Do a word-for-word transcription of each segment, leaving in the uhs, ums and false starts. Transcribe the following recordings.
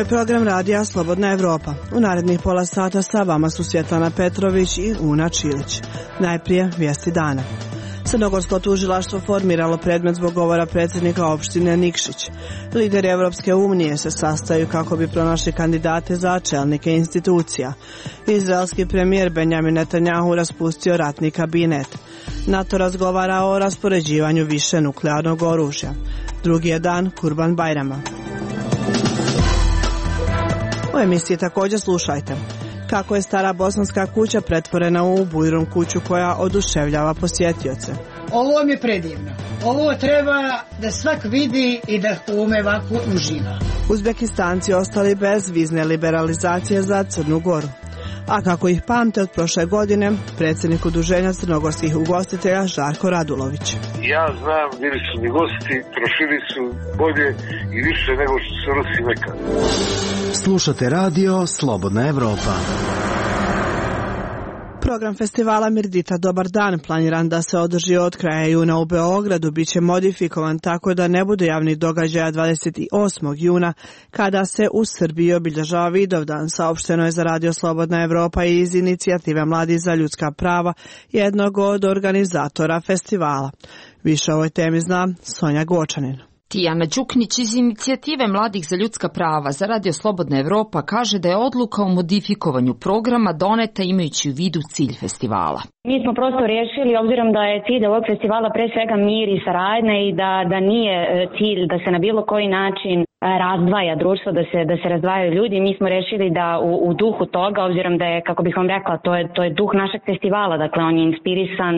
program radija Slobodna Evropa. U narednih pola sata sa vama su Svjetlana Petrović i Una Čilić. Najprije vijesti dana. Crnogorsko tužilaštvo formiralo predmet zbog govora predsjednika opštine Nikšić. Lideri Evropske unije se sastaju kako bi pronašli kandidate za čelnike institucija. Izraelski premijer Benjamin Netanjahu raspustio ratni kabinet. NATO razgovara o raspoređivanju više nuklearnog oružja. Drugi je dan Kurban Bajrama. U emisiji također slušajte kako je stara bosanska kuća pretvorena u bujrum kuću koja oduševljava posjetioce. Ovo mi je predivno. Ovo treba da svak vidi i da u ome ovako uživa. Uzbekistanci ostali bez vizne liberalizacije za Crnu Goru. A kako ih pamte od prošle godine, predsjednik udruženja crnogorskih ugostitelja Žarko Radulović. Ja znam, bili su mi gosti, trošili su bolje i više nego što se Rusi nekad. Slušate radio Slobodna Evropa. Program festivala Mirdita Dobar dan, planiran da se održi od kraja juna u Beogradu, bit će modifikovan tako da ne bude javnih događaja dvadeset osmog juna, kada se u Srbiji obilježava Vidovdan, saopšteno je za radio Slobodna Evropa i iz inicijative Mladi za ljudska prava, jednog od organizatora festivala. Više o ovoj temi zna Sonja Gočanin. Tijana Đuknić iz inicijative Mladih za ljudska prava za radio Slobodna Evropa kaže da je odluka o modifikovanju programa doneta imajući u vidu cilj festivala. Mi smo prosto rješili, obzirom da je cilj ovog festivala pre svega mir i saradnja i da, da nije cilj da se na bilo koji način razdvaja društvo, da se, da se razdvajaju ljudi. Mi smo rješili da u, u duhu toga, obzirom da je, kako bih vam rekla, to je, to je duh našeg festivala, dakle on je inspirisan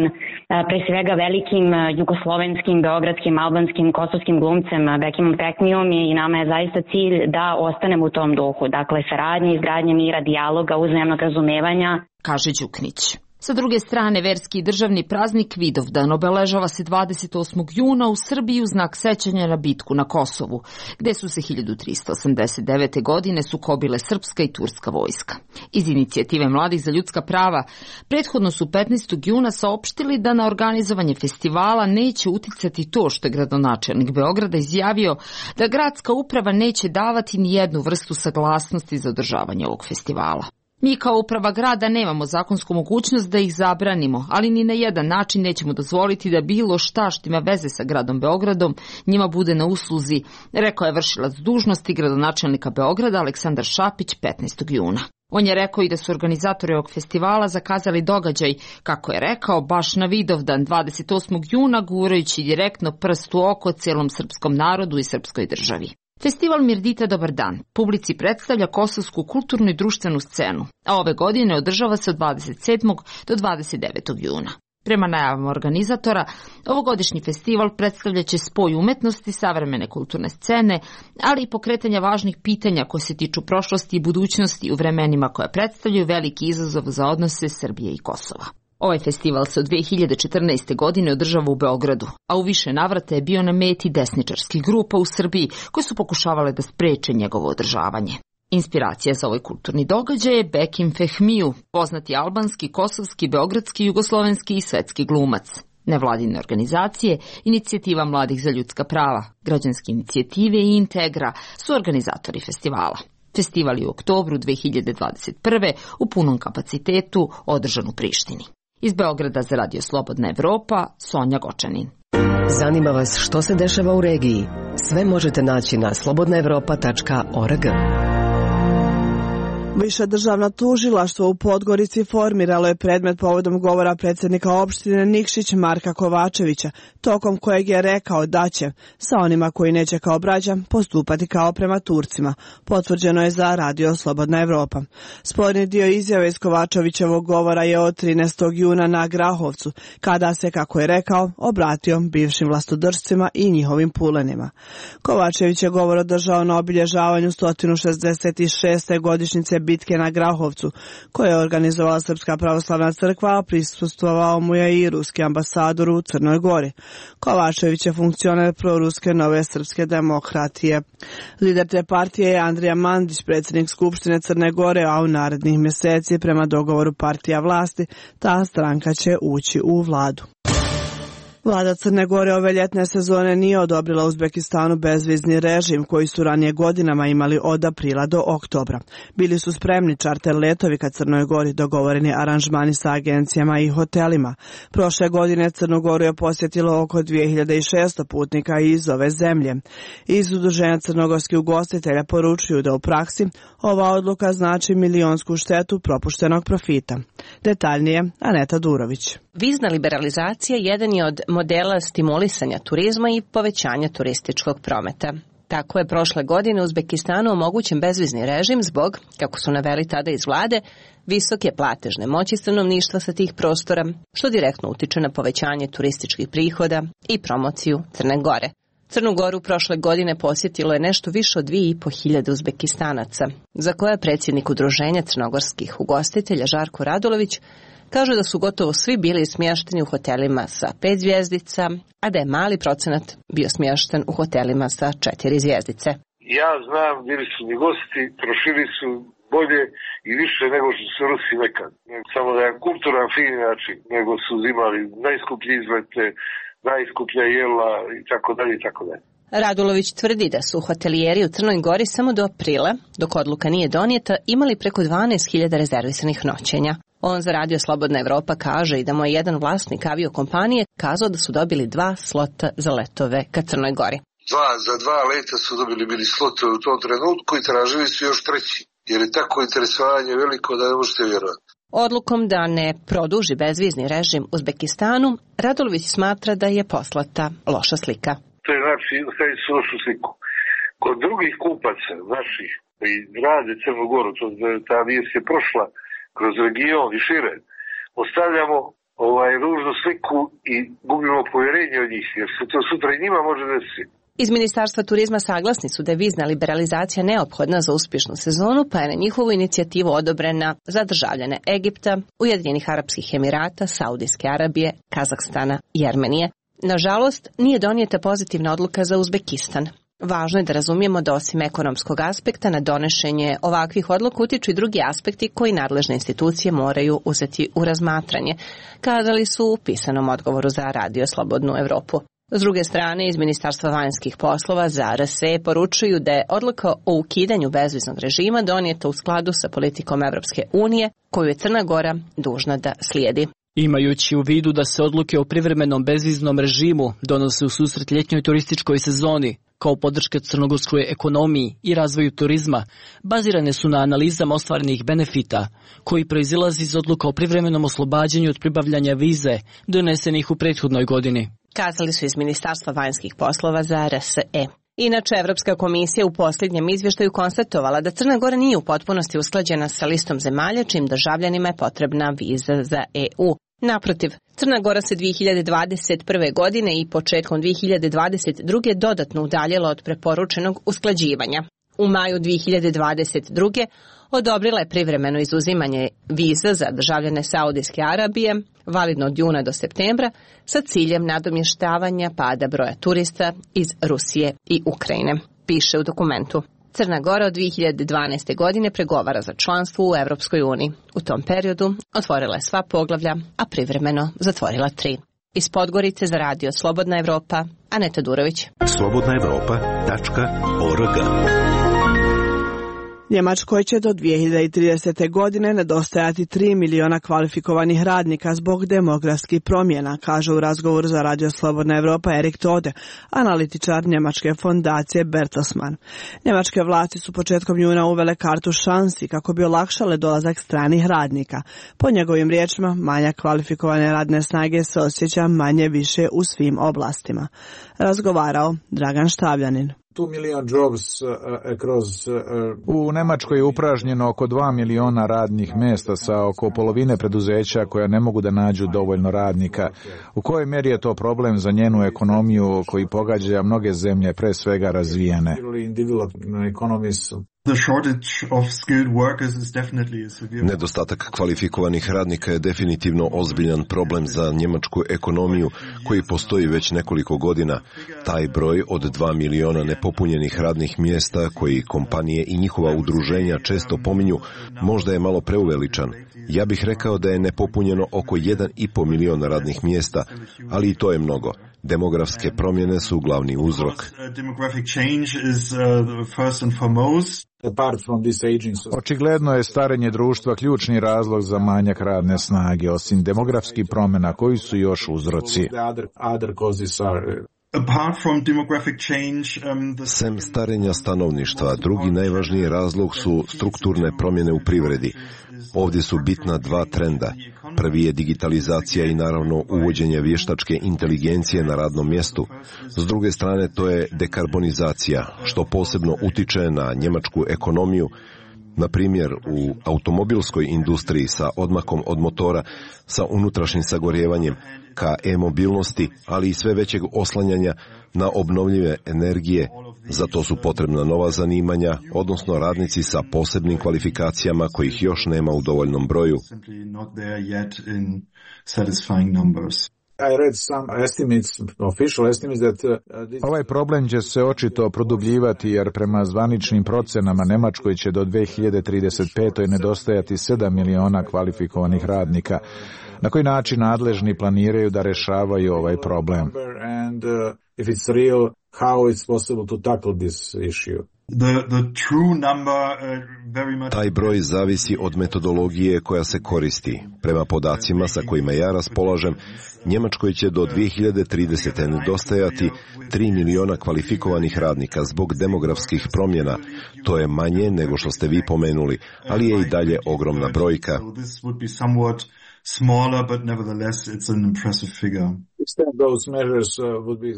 pre svega velikim jugoslovenskim, beogradskim, albanskim, kosovskim glumcem Bekimom Peknijom i nama je zaista cilj da ostanemo u tom duhu, dakle saradnje, izgradnje mira, dijaloga, uzajamnog razumevanja, kaže Đuknić. Sa druge strane, verski i državni praznik Vidovdan obeležava se dvadeset osmog juna u Srbiji u znak sećanja na bitku na Kosovu, gde su se hiljadu trista osamdeset devete. godine sukobile srpska i turska vojska. Iz inicijative Mladih za ljudska prava prethodno su petnaestog juna saopštili da na organizovanje festivala neće uticati to što je gradonačelnik Beograda izjavio da gradska uprava neće davati ni jednu vrstu saglasnosti za održavanje ovog festivala. Mi kao uprava grada nemamo zakonsku mogućnost da ih zabranimo, ali ni na jedan način nećemo dozvoliti da bilo šta što ima veze sa gradom Beogradom njima bude na usluzi, rekao je vršilac dužnosti gradonačelnika Beograda Aleksandar Šapić petnaestog juna. On je rekao i da su organizatori ovog festivala zakazali događaj, kako je rekao, baš na Vidovdan dvadeset osmog juna, gurajući direktno prst u oko cijelom srpskom narodu i srpskoj državi. Festival Mirdita Dobar dan publici predstavlja kosovsku kulturnu i društvenu scenu, a ove godine održava se od dvadeset sedmog do dvadeset devetog juna. Prema najavama organizatora, ovogodišnji festival predstavljaće spoj umetnosti, savremene kulturne scene, ali i pokretanja važnih pitanja koje se tiču prošlosti i budućnosti u vremenima koje predstavljaju veliki izazov za odnose Srbije i Kosova. Ovaj festival se od dve hiljade četrnaeste. godine održava u Beogradu, a u više navrata je bio na meti desničarskih grupa u Srbiji koje su pokušavale da spreče njegovo održavanje. Inspiracija za ovaj kulturni događaj je Bekim Fehmiju, poznati albanski, kosovski, beogradski, jugoslovenski i svetski glumac. Nevladine organizacije, inicijativa Mladih za ljudska prava, građanske inicijative i Integra su organizatori festivala. Festival je u oktobru dve hiljade dvadeset prve. u punom kapacitetu održan u Prištini. Iz Beograda za radio Slobodna Evropa, Sonja Gočanin. Zanima vas što se dešava u regiji? Sve možete naći na slobodna evropa tačka org. Više državno tužilaštvo u Podgorici formiralo je predmet povodom govora predsjednika opštine Nikšić Marka Kovačevića, tokom kojeg je rekao da će, sa onima koji neće kao braća, postupati kao prema Turcima. Potvrđeno je za radio Slobodna Evropa. Sporni dio izjave iz Kovačevićevog govora je od trinaestog juna na Grahovcu, kada se, kako je rekao, obratio bivšim vlastodržcima i njihovim pulenima. Kovačević je govor održao na obilježavanju sto šezdeset šeste. godišnjice bitke na Grahovcu, koje je organizovala Srpska pravoslavna crkva, a prisustvovao mu je i ruski ambasador u Crnoj Gori. Kovačević je funkcioner proruske Nove srpske demokratije. Lider te partije je Andrija Mandić, predsjednik Skupštine Crne Gore, a u narednih mjeseci, prema dogovoru partija vlasti, ta stranka će ući u vladu. Vlada Crne Gore ove ljetne sezone nije odobrila Uzbekistanu bezvizni režim koji su ranije godinama imali od aprila do oktobra. Bili su spremni čarter letovi ka Crnoj Gori, dogovoreni aranžmani sa agencijama i hotelima. Prošle godine Crnu Goru je posjetilo oko dvije hiljade šesto putnika iz ove zemlje. Iz Udruženja crnogorskih ugostitelja poručuju da u praksi ova odluka znači milionsku štetu propuštenog profita. Detaljnije Aneta Durović. Vizna liberalizacija jedan je od modela stimulisanja turizma i povećanja turističkog prometa. Tako je prošle godine Uzbekistanu omogućen bezvizni režim zbog, kako su naveli tada iz vlade, visoke platežne moći stanovništva sa tih prostora, što direktno utiče na povećanje turističkih prihoda i promociju Crne Gore. Crnu Goru prošle godine posjetilo je nešto više od dvije i po hiljade Uzbekistanaca, za koje je predsjednik Udruženja crnogorskih ugostitelja Žarko Radulović kaže da su gotovo svi bili smješteni u hotelima sa pet zvjezdica, a da je mali procenat bio smješten u hotelima sa četiri zvjezdice. Ja znam, bili su mi gosti, trošili su bolje i više nego što su Rusi nekad. Samo da je kulturan, fin način, nego su uzimali najskuplje izlete, najskuplja jela i tako dalje i tako dalje. Radulović tvrdi da su hotelijeri u Crnoj Gori samo do aprila, dok odluka nije donijeta, imali preko dvanaest hiljada rezervisanih noćenja. On za Radio Slobodna Evropa kaže i da mu je jedan vlasnik aviokompanije kazao da su dobili dva slota za letove ka Crnoj Gori. Dva, za dva leta su dobili bili slotove u tom trenutku i tražili su još treći, jer je tako interesovanje veliko da ne možete vjerovati. Odlukom da ne produži bezvizni režim Uzbekistanu, Radulović smatra da je poslata loša slika. To je znači, ostavili su lošu sliku. Kod drugih kupaca, naših, koji rade Crnu Goru, to ta vijest je prošla kroz region i šire, ostavljamo ovaj ružnu sliku i gubimo povjerenje od njih, jer se to sutra i njima može desiti. Iz Ministarstva turizma saglasni su da je vizna liberalizacija neophodna za uspješnu sezonu, pa je na njihovu inicijativu odobrena za državljane Egipta, Ujedinjenih Arapskih Emirata, Saudijske Arabije, Kazahstana i Armenije. Nažalost, nije donijeta pozitivna odluka za Uzbekistan. Važno je da razumijemo da osim ekonomskog aspekta na donošenje ovakvih odluka utiču i drugi aspekti koji nadležne institucije moraju uzeti u razmatranje, kazali su u pisanom odgovoru za Radio Slobodnu Evropu. S druge strane, iz Ministarstva vanjskih poslova za R S E poručuju da je odluka o ukidanju bezviznog režima donijeta u skladu sa politikom Evropske unije, koju je Crna Gora dužna da slijedi. Imajući u vidu da se odluke o privremenom bezviznom režimu donose u susret ljetnjoj turističkoj sezoni, kao podrška crnogorskoj ekonomiji i razvoju turizma, bazirane su na analizama ostvarenih benefita, koji proizilazi iz odluka o privremenom oslobađanju od pribavljanja vize, donesenih u prethodnoj godini. Kazali su iz Ministarstva vanjskih poslova za R S E. Inače, Evropska komisija u posljednjem izvještaju konstatovala da Crna Gora nije u potpunosti usklađena sa listom zemalja čijim državljanima je potrebna viza za E U. Naprotiv, Crna Gora se dvije hiljade dvadeset prve. godine i početkom dvije hiljade dvadeset druge. dodatno udaljila od preporučenog usklađivanja. U maju dvije hiljade dvadeset druge. odobrila je privremeno izuzimanje viza za državljane Saudijske Arabije, validno od juna do septembra, sa ciljem nadomještavanja pada broja turista iz Rusije i Ukrajine, piše u dokumentu. Crna Gora od dvije hiljade dvanaeste. godine pregovara za članstvo u Evropskoj uniji. U tom periodu otvorila je sva poglavlja, a privremeno zatvorila tri. Iz Podgorice za Radio Slobodna Evropa, Aneta Durović. slobodna evropa tačka org. Njemačkoj će do dvije hiljade tridesete. godine nedostajati tri miliona kvalifikovanih radnika zbog demografskih promjena, kaže u razgovoru za Radio Slobodna Evropa Erik Tode, analitičar njemačke fondacije Bertelsmann. Njemačke vlasti su početkom juna uvele kartu šansi kako bi olakšale dolazak stranih radnika. Po njegovim riječima, manjak kvalifikovane radne snage se osjeća manje više u svim oblastima. Razgovarao Dragan Štavljanin. U Njemačkoj je upražnjeno oko dva miliona radnih mjesta sa oko polovine preduzeća koja ne mogu da nađu dovoljno radnika. U kojoj mjeri je to problem za njenu ekonomiju koji pogađa mnoge zemlje, pre svega razvijene? Nedostatak kvalifikovanih radnika je definitivno ozbiljan problem za njemačku ekonomiju koji postoji već nekoliko godina. Taj broj od dva miliona nepopunjenih radnih mjesta koji kompanije i njihova udruženja često pominju možda je malo preuveličan. Ja bih rekao da je nepopunjeno oko jedan i po miliona radnih mjesta, ali i to je mnogo. Demografske promjene su glavni uzrok. Očigledno je starenje društva ključni razlog za manjak radne snage, osim demografskih promjena koji su još uzroci. Sem starenja stanovništva, drugi najvažniji razlog su strukturne promjene u privredi. Ovdje su bitna dva trenda. Prvi je digitalizacija i naravno uvođenje vještačke inteligencije na radnom mjestu. S druge strane to je dekarbonizacija, što posebno utiče na njemačku ekonomiju. Na primjer, u automobilskoj industriji sa odmakom od motora, sa unutrašnjim sagorjevanjem, ka e-mobilnosti, ali i sve većeg oslanjanja na obnovljive energije. Za to su potrebna nova zanimanja, odnosno radnici sa posebnim kvalifikacijama kojih još nema u dovoljnom broju. Ovaj problem će se očito produbljivati jer prema zvaničnim procenama Njemačkoj će do dve hiljade trideset pete. nedostajati sedam miliona kvalifikovanih radnika. Na koji način nadležni planiraju da rešavaju ovaj problem? Taj broj zavisi od metodologije koja se koristi. Prema podacima sa kojima ja raspolažem, Njemačkoj će do dve hiljade tridesete. nedostajati tri miliona kvalifikovanih radnika zbog demografskih promjena. To je manje nego što ste vi pomenuli, ali je i dalje ogromna brojka.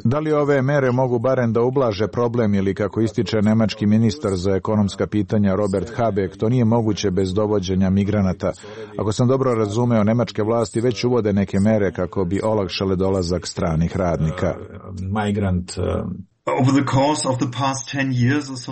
Da li ove mere mogu barem da ublaže problem ili, kako ističe nemački ministar za ekonomska pitanja Robert Habeck, to nije moguće bez dovođenja migranata? Ako sam dobro razumeo, nemačke vlasti već uvode neke mere kako bi olakšale dolazak stranih radnika. Migrant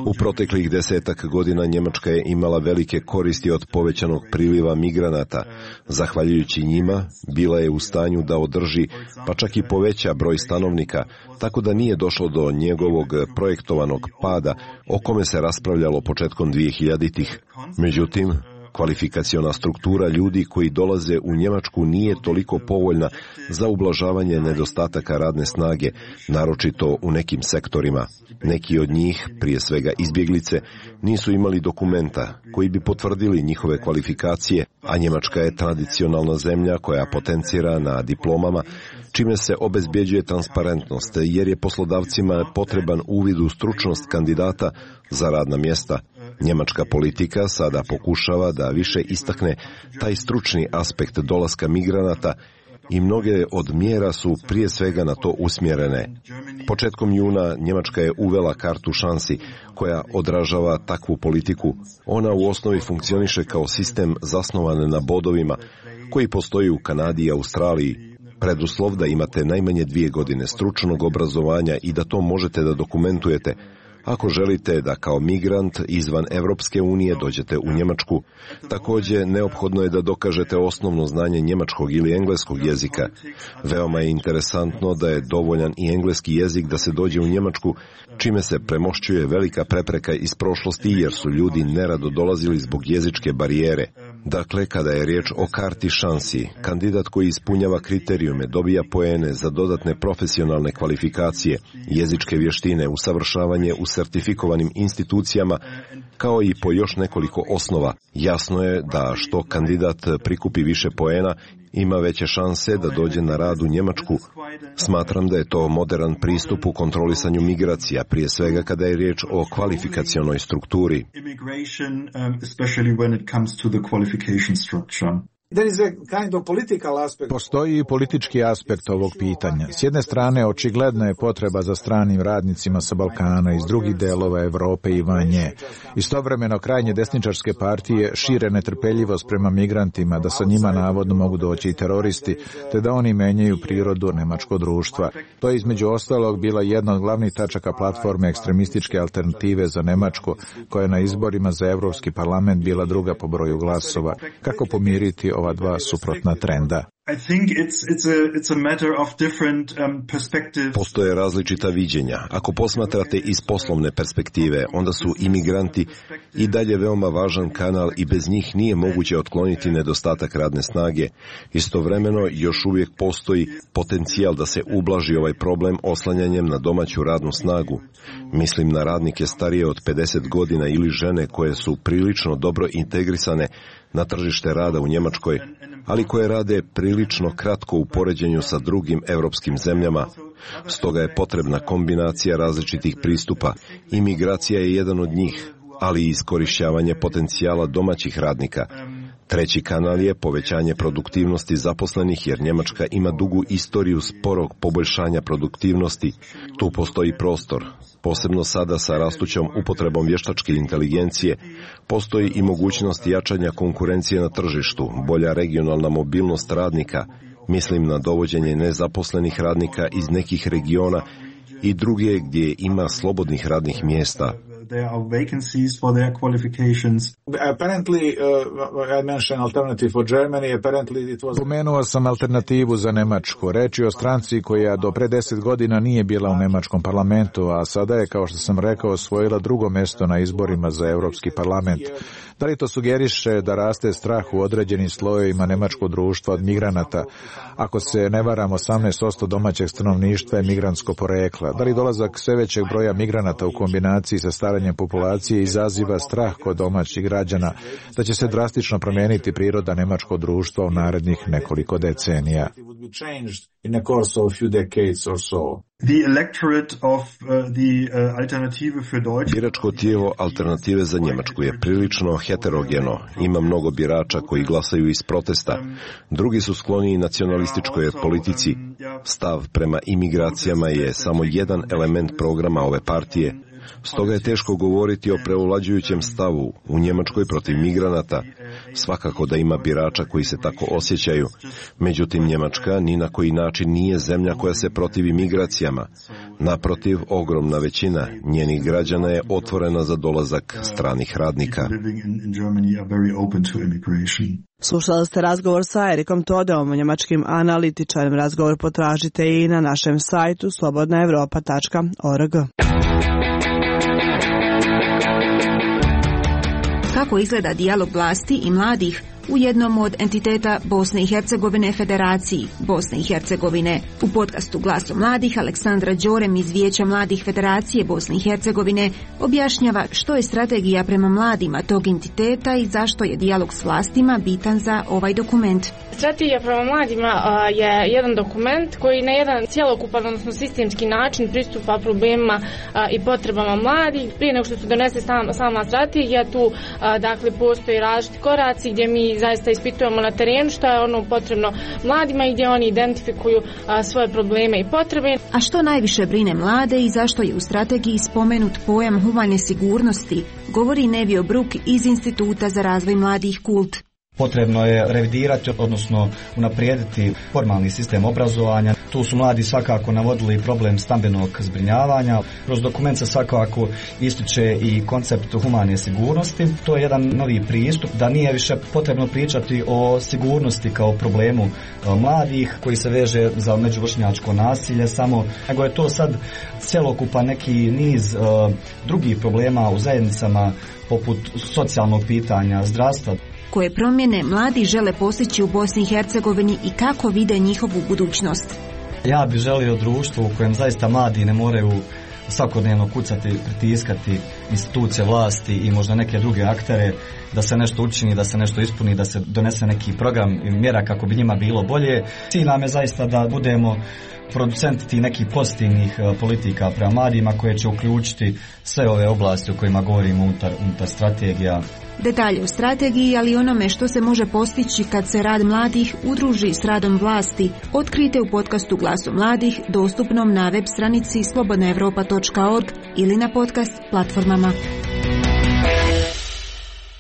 U proteklih desetak godina Njemačka je imala velike koristi od povećanog priliva migranata. Zahvaljujući njima, bila je u stanju da održi, pa čak i poveća broj stanovnika, tako da nije došlo do njegovog projektovanog pada, o kome se raspravljalo početkom dvehiljaditih. Međutim, kvalifikaciona struktura ljudi koji dolaze u Njemačku nije toliko povoljna za ublažavanje nedostataka radne snage, naročito u nekim sektorima. Neki od njih, prije svega izbjeglice, nisu imali dokumenta koji bi potvrdili njihove kvalifikacije, a Njemačka je tradicionalna zemlja koja potencira na diplomama, čime se obezbjeđuje transparentnost, jer je poslodavcima potreban uvid u stručnost kandidata za radna mjesta. Njemačka politika sada pokušava da više istakne taj stručni aspekt dolaska migranata i mnoge od mjera su prije svega na to usmjerene. Početkom juna Njemačka je uvela kartu šansi koja odražava takvu politiku. Ona u osnovi funkcioniše kao sistem zasnovan na bodovima koji postoji u Kanadi i Australiji. Preduslov da imate najmanje dvije godine stručnog obrazovanja i da to možete da dokumentujete ako želite da kao migrant izvan Evropske unije dođete u Njemačku. Također, neophodno je da dokažete osnovno znanje njemačkog ili engleskog jezika. Veoma je interesantno da je dovoljan i engleski jezik da se dođe u Njemačku, čime se premošćuje velika prepreka iz prošlosti jer su ljudi nerado dolazili zbog jezičke barijere. Dakle, kada je riječ o karti šansi, kandidat koji ispunjava kriterijume dobija poene za dodatne profesionalne kvalifikacije, jezičke vještine, usavršavanje u sertifikovanim institucijama, kao i po još nekoliko osnova. Jasno je da što kandidat prikupi više poena, ima veće šanse da dođe na rad u Njemačku. Smatram da je to modern pristup u kontrolisanju migracija, prije svega kada je riječ o kvalifikacionoj strukturi. Postoji i politički aspekt ovog pitanja. S jedne strane, očigledna je potreba za stranim radnicima sa Balkana, iz drugih delova Evrope i van nje. Istovremeno, krajnje desničarske partije šire netrpeljivost prema migrantima, da sa njima navodno mogu doći i teroristi, te da oni menjaju prirodu nemačkog društva. To je između ostalog bila jedna od glavnih tačaka platforme ekstremističke alternative za Nemačku, koja je na izborima za Evropski parlament bila druga po broju glasova. Kako pomiriti ova dva suprotna trenda? Postoje različita viđenja. Ako posmatrate iz poslovne perspektive, onda su imigranti i dalje veoma važan kanal i bez njih nije moguće otkloniti nedostatak radne snage. Istovremeno još uvijek postoji potencijal da se ublaži ovaj problem oslanjanjem na domaću radnu snagu. Mislim na radnike starije od pedeset godina ili žene koje su prilično dobro integrisane na tržište rada u Njemačkoj, ali koje rade prilično kratko u poređenju sa drugim europskim zemljama. Stoga je potrebna kombinacija različitih pristupa. Imigracija je jedan od njih, ali i iskorišćavanje potencijala domaćih radnika. Treći kanal je povećanje produktivnosti zaposlenih, jer Njemačka ima dugu istoriju sporog poboljšanja produktivnosti. Tu postoji prostor. Posebno sada sa rastućom upotrebom vještačke inteligencije, postoji i mogućnost jačanja konkurencije na tržištu, bolja regionalna mobilnost radnika, mislim na dovođenje nezaposlenih radnika iz nekih regiona i druge gdje ima slobodnih radnih mjesta. There are vacancies for their qualifications. Apparently, uh, I mentioned alternative for Germany. Apparently it was... Pomenuo sam alternativu za Nemačku. Reč je o stranci koja do pre deset godina nije bila u nemačkom parlamentu, a sada je, kao što sam rekao, osvojila drugo mjesto na izborima za Europski parlament. Da li to sugeriše da raste strah u određenim slojevima nemačkog društva od migranata? Ako se ne varam, osamnaest posto domaćeg stanovništva je migrantsko porekla. Da li dolazak sve većeg broja migranata u kombinaciji sa staranjem populacije izaziva strah kod domaćih građana da će se drastično promijeniti priroda nemačkog društva u narednih nekoliko decenija? In a course of few decades or so. The electorate of uh, the uh, Alternative für Deutschland. Biračko tijelo Alternative za Njemačku je prilično heterogeno. Ima mnogo birača koji glasaju iz protesta. Drugi su skloniji nacionalističkoj politici. Stav prema imigracijama je samo jedan element programa ove partije. Stoga je teško govoriti o preovlađujućem stavu u Njemačkoj protiv migranata. Svakako da ima birača koji se tako osjećaju. Međutim, Njemačka ni na koji način nije zemlja koja se protivi migracijama. Naprotiv, ogromna većina njenih građana je otvorena za dolazak stranih radnika. Slušali ste razgovor sa Erikom Todeom, njemačkim analitičarem. Razgovor potražite i na našem sajtu slobodna evropa tačka org. Kako izgleda dijalog vlasti i mladih u jednom od entiteta Bosne i Hercegovine Federaciji Bosne i Hercegovine. U podcastu Glasom mladih Aleksandra Đorem iz Vijeća mladih Federacije Bosne i Hercegovine objašnjava što je strategija prema mladima tog entiteta i zašto je dijalog s vlastima bitan za ovaj dokument. Strategija prema mladima a, je jedan dokument koji na jedan cjelokupan, odnosno sistemski način pristupa problemima a, i potrebama mladih. Prije nego što se donese sama, sama strategija, tu a, dakle postoji različiti koraci gdje mi zaista ispitujemo na terenu što je ono potrebno mladima i gdje oni identifikuju a, svoje probleme i potrebe. A što najviše brine mlade i zašto je u strategiji spomenut pojam humane sigurnosti, govori Nevio Bruk iz Instituta za razvoj mladih Kult. Potrebno je revidirati, odnosno unaprijediti formalni sistem obrazovanja. Tu su mladi svakako navodili problem stambenog zbrinjavanja. Kroz dokument se svakako ističe i koncept humane sigurnosti. To je jedan novi pristup, da nije više potrebno pričati o sigurnosti kao problemu mladih koji se veže za međuvršnjačko nasilje samo, nego je to sad cjelokupan neki niz uh, drugih problema u zajednicama poput socijalnog pitanja, zdravstva. Koje promjene mladi žele postići u Bosni i Hercegovini i kako vide njihovu budućnost? Ja bih želio društvo u kojem zaista mladi ne moraju svakodnevno kucati, pritiskati institucije vlasti i možda neke druge aktere da se nešto učini, da se nešto ispuni, da se donese neki program i mjera kako bi njima bilo bolje. Cilj nam je zaista da budemo producenti tih nekih pozitivnih politika prema mladima koje će uključiti sve ove oblasti o kojima govorimo unutar, unutar strategija Detalje o strategiji, ali i onome što se može postići kad se rad mladih udruži s radom vlasti, otkrijte u podcastu Glasom mladih, dostupnom na web stranici slobodna europa tačka org ili na podcast platformama.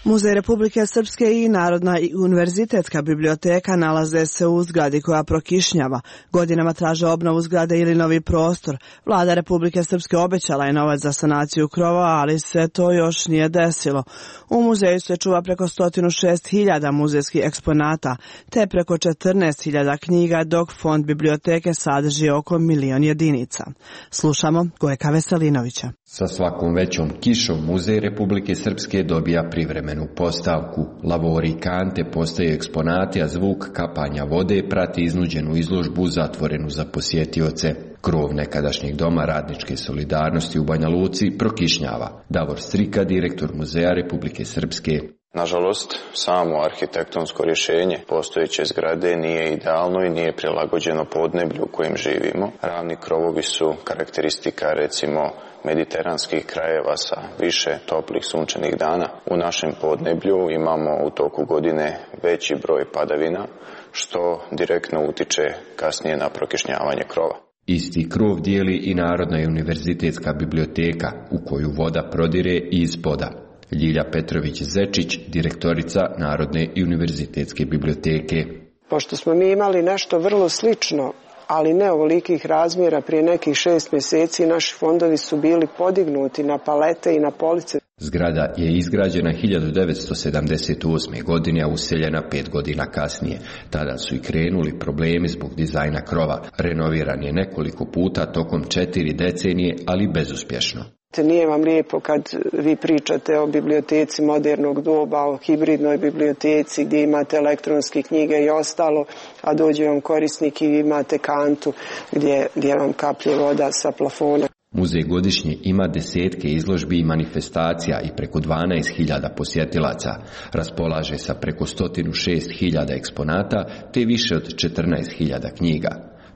Muzej Republike Srpske i Narodna i univerzitetska biblioteka nalaze se u zgradi koja prokišnjava. Godinama traže obnovu zgrade ili novi prostor. Vlada Republike Srpske obećala je novac za sanaciju krova, ali se to još nije desilo. U muzeju se čuva preko sto šest hiljada muzejskih eksponata, te preko četrnaest hiljada knjiga, dok fond biblioteke sadrži oko milion jedinica. Slušamo Gojka Veselinovića. Sa svakom većom kišom Muzej Republike Srpske dobija privremenu postavku. Lavori i kante postaju eksponati, a zvuk kapanja vode prati iznuđenu izložbu zatvorenu za posjetioce. Krov nekadašnjeg doma radničke solidarnosti u Banja Luci prokišnjava. Davor Strika, direktor Muzeja Republike Srpske. Nažalost, samo arhitektonsko rješenje postojeće zgrade nije idealno i nije prilagođeno podneblju u kojem živimo. Ravni krovovi su karakteristika, recimo, mediteranskih krajeva sa više toplih sunčanih dana. U našem podneblju imamo u toku godine veći broj padavina, što direktno utiče kasnije na prokišnjavanje krova. Isti krov dijeli i Narodna i univerzitetska biblioteka, u koju voda prodire i ispoda. Ljilja Petrović-Zečić, direktorica Narodne i univerzitetske biblioteke. Pošto smo mi imali nešto vrlo slično, ali ne ovolikih razmjera, prije nekih šest mjeseci naši fondovi su bili podignuti na palete i na police. Zgrada je izgrađena hiljadu devetsto sedamdeset osme. godine, a useljena pet godina kasnije. Tada su i krenuli problemi zbog dizajna krova. Renoviran je nekoliko puta tokom četiri decenije, ali bezuspješno. Nije vam lijepo kad vi pričate o biblioteci modernog doba, o hibridnoj biblioteci gdje imate elektronske knjige i ostalo, a dođe vam korisnik i vi imate kantu gdje, gdje vam kaplje voda sa plafona. Muzej godišnje ima desetke izložbi i manifestacija i preko dvanaest hiljada posjetilaca. Raspolaže sa preko sto šest hiljada eksponata te više od četrnaest hiljada knjiga.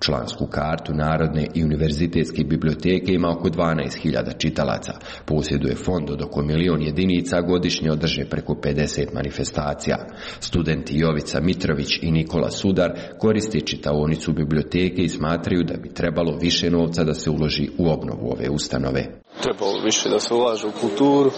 Člansku kartu Narodne i univerzitetske biblioteke ima oko dvanaest hiljada čitalaca. Posjeduje fond od oko milion jedinica, godišnje održe preko pedeset manifestacija. Studenti Jovica Mitrović i Nikola Sudar koriste čitaonicu biblioteke i smatraju da bi trebalo više novca da se uloži u obnovu ove ustanove. Trebalo više da se ulaže u kulturu,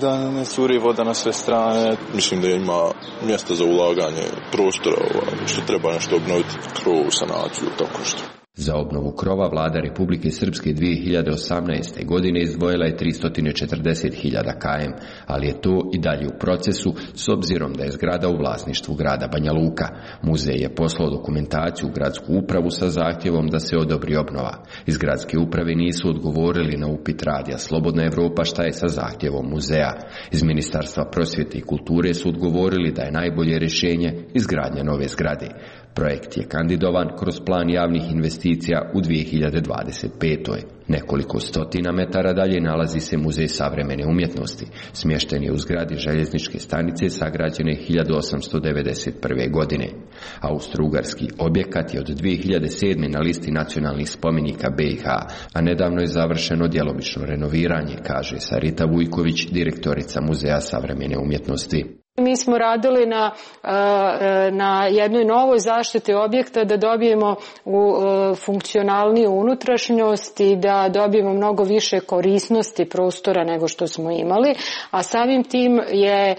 da ne curi voda na sve strane. Mislim da ima mjesta za ulaganje prostora, što treba nešto obnoviti, krov, sanaciju, tako što. Za obnovu krova vlada Republike Srpske dvije hiljade osamnaeste. godine izdvojila je tristo četrdeset hiljada km, ali je to i dalje u procesu s obzirom da je zgrada u vlasništvu grada Banja Luka. Muzej je poslao dokumentaciju u gradsku upravu sa zahtjevom da se odobri obnova. Iz gradske uprave nisu odgovorili na upit radija Slobodna Evropa šta je sa zahtjevom muzeja. Iz Ministarstva prosvjete i kulture su odgovorili da je najbolje rješenje izgradnja nove zgrade. Projekt je kandidovan kroz plan javnih investicija u dvije hiljade dvadeset petoj. Nekoliko stotina metara dalje nalazi se Muzej savremene umjetnosti. Smješten je u zgradi željezničke stanice sagrađene hiljadu osamsto devedeset prve. godine. Austro-ugarski objekat je od dvije hiljade sedme. na listi nacionalnih spomenika B i H, a nedavno je završeno djelomično renoviranje, kaže Sarita Vujković, direktorica Muzeja savremene umjetnosti. Mi smo radili na, na jednoj novoj zaštiti objekta da dobijemo u funkcionalniju unutrašnjost i da dobijemo mnogo više korisnosti prostora nego što smo imali, a samim tim je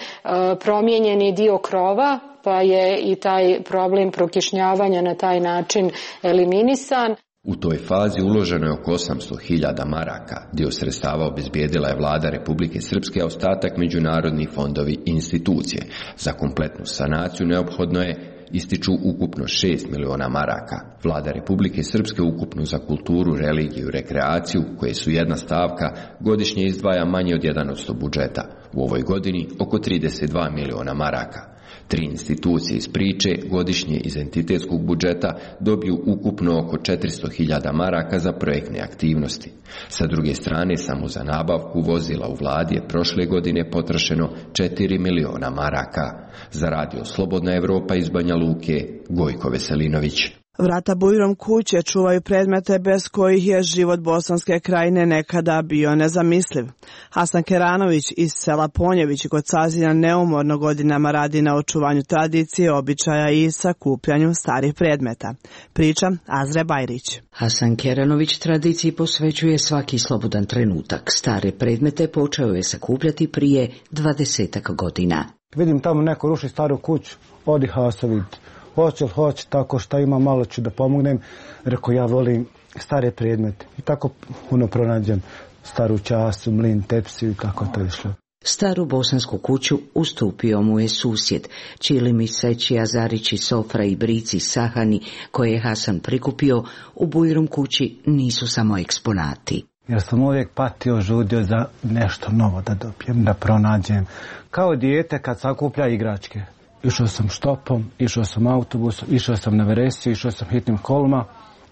promijenjeni dio krova, pa je i taj problem prokišnjavanja na taj način eliminisan. U toj fazi uloženo je oko osamsto hiljada maraka. Dio sredstava obezbijedila je vlada Republike Srpske, a ostatak međunarodni fondovi i institucije. Za kompletnu sanaciju neophodno je ističu ukupno šest miliona maraka. Vlada Republike Srpske ukupno za kulturu, religiju i rekreaciju, koje su jedna stavka, godišnje izdvaja manje od jedan posto budžeta. U ovoj godini oko trideset dva miliona maraka. Tri institucije iz priče godišnje iz entitetskog budžeta dobiju ukupno oko četiristo hiljada maraka za projektne aktivnosti. Sa druge strane, samo za nabavku vozila u vladi je prošle godine potrošeno četiri miliona maraka. Za radio Slobodna Evropa iz Banja Luke, Gojko Veselinović. Vrata bujrom kuće čuvaju predmete bez kojih je život Bosanske krajine nekada bio nezamisliv. Hasan Keranović iz sela Ponjević kod Sazina neumorno godinama radi na očuvanju tradicije, običaja i sakupljanju starih predmeta. Priča Azre Bajrić. Hasan Keranović tradiciji posvećuje svaki slobodan trenutak. Stare predmete počeo je sakupljati prije dvadesetak godina. Vidim tamo neko ruši staru kuću, odi Haso vidjeti. Hoće li hoće, tako šta ima, malo ću da pomognem. Rekao, ja volim stare predmete. I tako puno pronađem staru času, mlin, tepsiju i tako to išlo. Staru bosansku kuću ustupio mu je susjed. Čilimi, Seći, Azarići, Sofra i Brici Sahani, koje je Hasan prikupio, u bujrum kući nisu samo eksponati. Jer sam uvijek patio, žudio za nešto novo da dobijem, da pronađem. Kao dijete kad sakuplja igračke. Išao sam štopom, išao sam autobusom, išao sam na veresiju, išao sam hitnim kolima.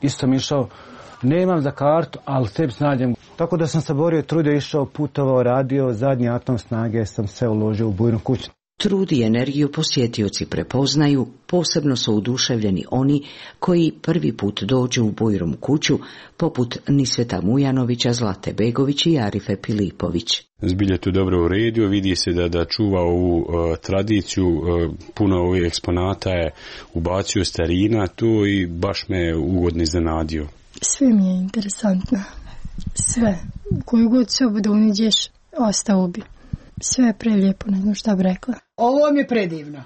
Isto sam išao, nemam za kartu, ali sebi snađem. Tako da sam se borio, trudio, išao, putovao, radio, zadnji atom snage sam se uložio u bujnu kuću. Trud i energiju posjetioci prepoznaju, posebno su oduševljeni oni koji prvi put dođu u bujrum kuću, poput Nisveta Mujanovića, Zlate Begović i Arife Pilipović. Zbilje tu dobro uredio, vidi se da, da čuva ovu uh, tradiciju, uh, puno ovih eksponata je ubacio starina tu i baš me ugodno iznenadio. Sve mi je interesantno, sve, koju god sobu da uniđeš, ostao bi. Sve je prelijepo, ne znam šta bi rekla. Ovo mi je predivno.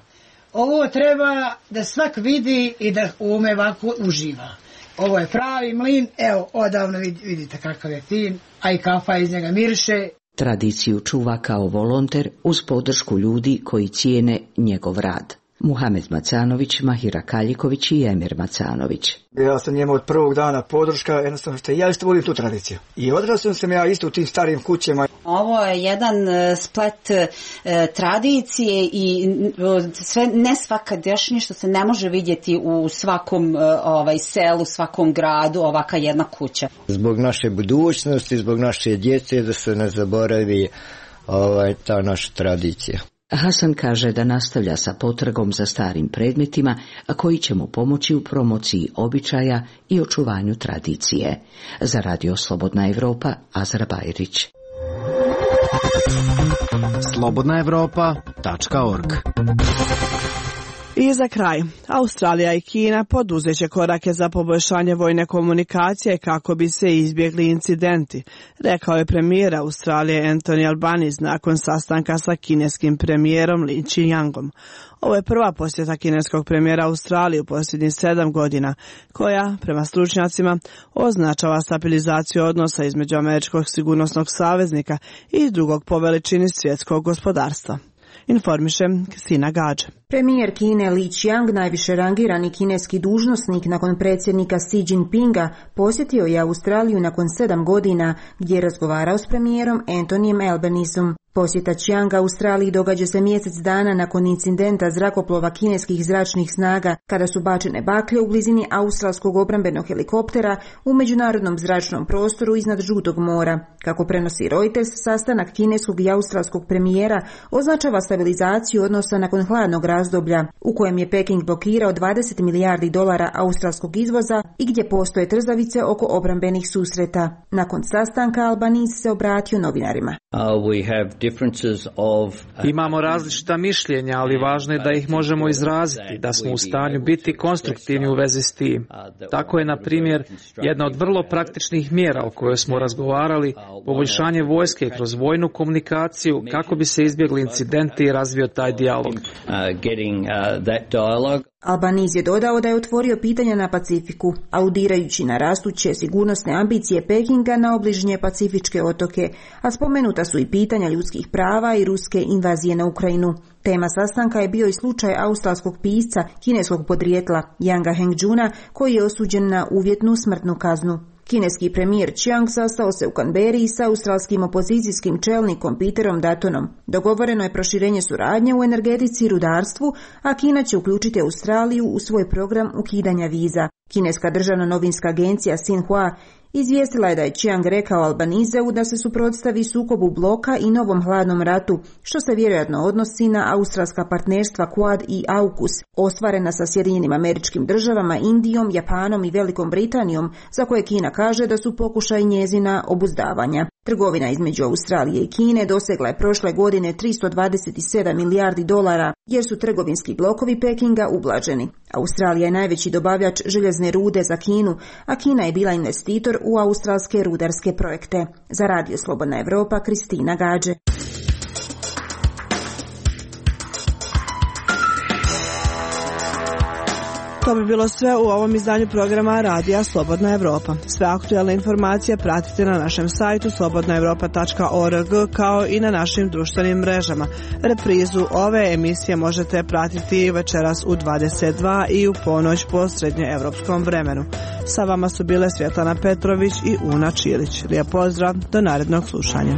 Ovo treba da svak vidi i da ume ovako uživa. Ovo je pravi mlin, evo, odavno vidite kakav je fin, a i kafa iz njega miriše. Tradiciju čuva kao volonter uz podršku ljudi koji cijene njegov rad. Muhamed Macanović, Mahira Kaljiković i Emir Macanović. Ja sam njemu od prvog dana podrška, jednostavno što ja isto volim tu tradiciju. I odrastao sam ja isto u tim starim kućama. Ovo je jedan splet e, tradicije i sve nesvakadašnje što se ne može vidjeti u svakom e, ovaj selu, svakom gradu, ovaka jedna kuća. Zbog naše budućnosti, zbog naše djece, da se ne zaboravi ovaj, ta naša tradicija. Hasan kaže da nastavlja sa potragom za starim predmetima, a koji će mu pomoći u promociji običaja i očuvanju tradicije. Za Radio Slobodna Evropa, Azra Bajrić. slobodna evropa tačka org. I za kraj, Australija i Kina poduzeće korake za poboljšanje vojne komunikacije kako bi se izbjegli incidenti, rekao je premijer Australije Anthony Albanese nakon sastanka sa kineskim premijerom Li Qiangom. Ovo je prva posjeta kineskog premijera Australije u posljednjih sedam godina, koja, prema stručnjacima, označava stabilizaciju odnosa između američkog sigurnosnog saveznika i drugog po veličini svjetskog gospodarstva. Informiše Kristina Gađe. Premijer Kine Li Qiang, najviše rangirani kineski dužnosnik nakon predsjednika Xi Jinpinga, posjetio je Australiju nakon sedam godina gdje je razgovarao s premijerom Anthonyjem Albaneseom. Posjeta Qianga Australiji događa se mjesec dana nakon incidenta zrakoplova kineskih zračnih snaga kada su bačene baklje u blizini australskog obrambenog helikoptera u međunarodnom zračnom prostoru iznad Žutog mora. Kako prenosi Reuters, sastanak kineskog i australskog premijera označava stabilizaciju odnosa nakon hladnog razdoblja u kojem je Peking blokirao dvadeset milijardi dolara australskog izvoza i gdje postoje trzavice oko obrambenih susreta. Nakon sastanka Albanese se obratio novinarima. Uh, we have Of... Imamo različita mišljenja, ali važno je da ih možemo izraziti, da smo u stanju biti konstruktivni u vezi s tim. Tako je, na primjer, jedna od vrlo praktičnih mjera o kojoj smo razgovarali, poboljšanje vojske kroz vojnu komunikaciju kako bi se izbjegli incidenti i razvio taj dijalog. Albanese je dodao da je otvorio pitanja na Pacifiku, aludirajući na rastuće sigurnosne ambicije Pekinga na obližnje pacifičke otoke, a spomenuta su i pitanja ljudskih prava i ruske invazije na Ukrajinu. Tema sastanka je bio i slučaj australskog pisca kineskog podrijetla Yanga Hengjuna, koji je osuđen na uvjetnu smrtnu kaznu. Kineski premijer Qiang sastao se u Canberri sa australskim opozicijskim čelnikom Peterom Duttonom. Dogovoreno je proširenje suradnje u energetici i rudarstvu, a Kina će uključiti Australiju u svoj program ukidanja viza. Kineska državna novinska agencija Xinhua izvijestila je da je Chiang rekao Albanizeu da se suprotstavi sukobu bloka i novom hladnom ratu, što se vjerojatno odnosi na australska partnerstva Quad i AUKUS, ostvarena sa Sjedinjenim Američkim Državama, Indijom, Japanom i Velikom Britanijom, za koje Kina kaže da su pokušaj njezina obuzdavanja. Trgovina između Australije i Kine dosegla je prošle godine tristo dvadeset sedam milijardi dolara, jer su trgovinski blokovi Pekinga ublaženi. Australija je najveći dobavljač željezne rude za Kinu, a Kina je bila investitor u australske rudarske projekte. Za Radio Slobodna Evropa, Kristina Gađe. To bi bilo sve u ovom izdanju programa Radija Slobodna Evropa. Sve aktualne informacije pratite na našem sajtu slobodna evropa tačka org kao i na našim društvenim mrežama. Reprizu ove emisije možete pratiti večeras u dvadeset dva i u ponoć po srednjoevropskom vremenu. Sa vama su bile Svjetlana Petrović i Una Čilić. Lijep pozdrav, do narednog slušanja.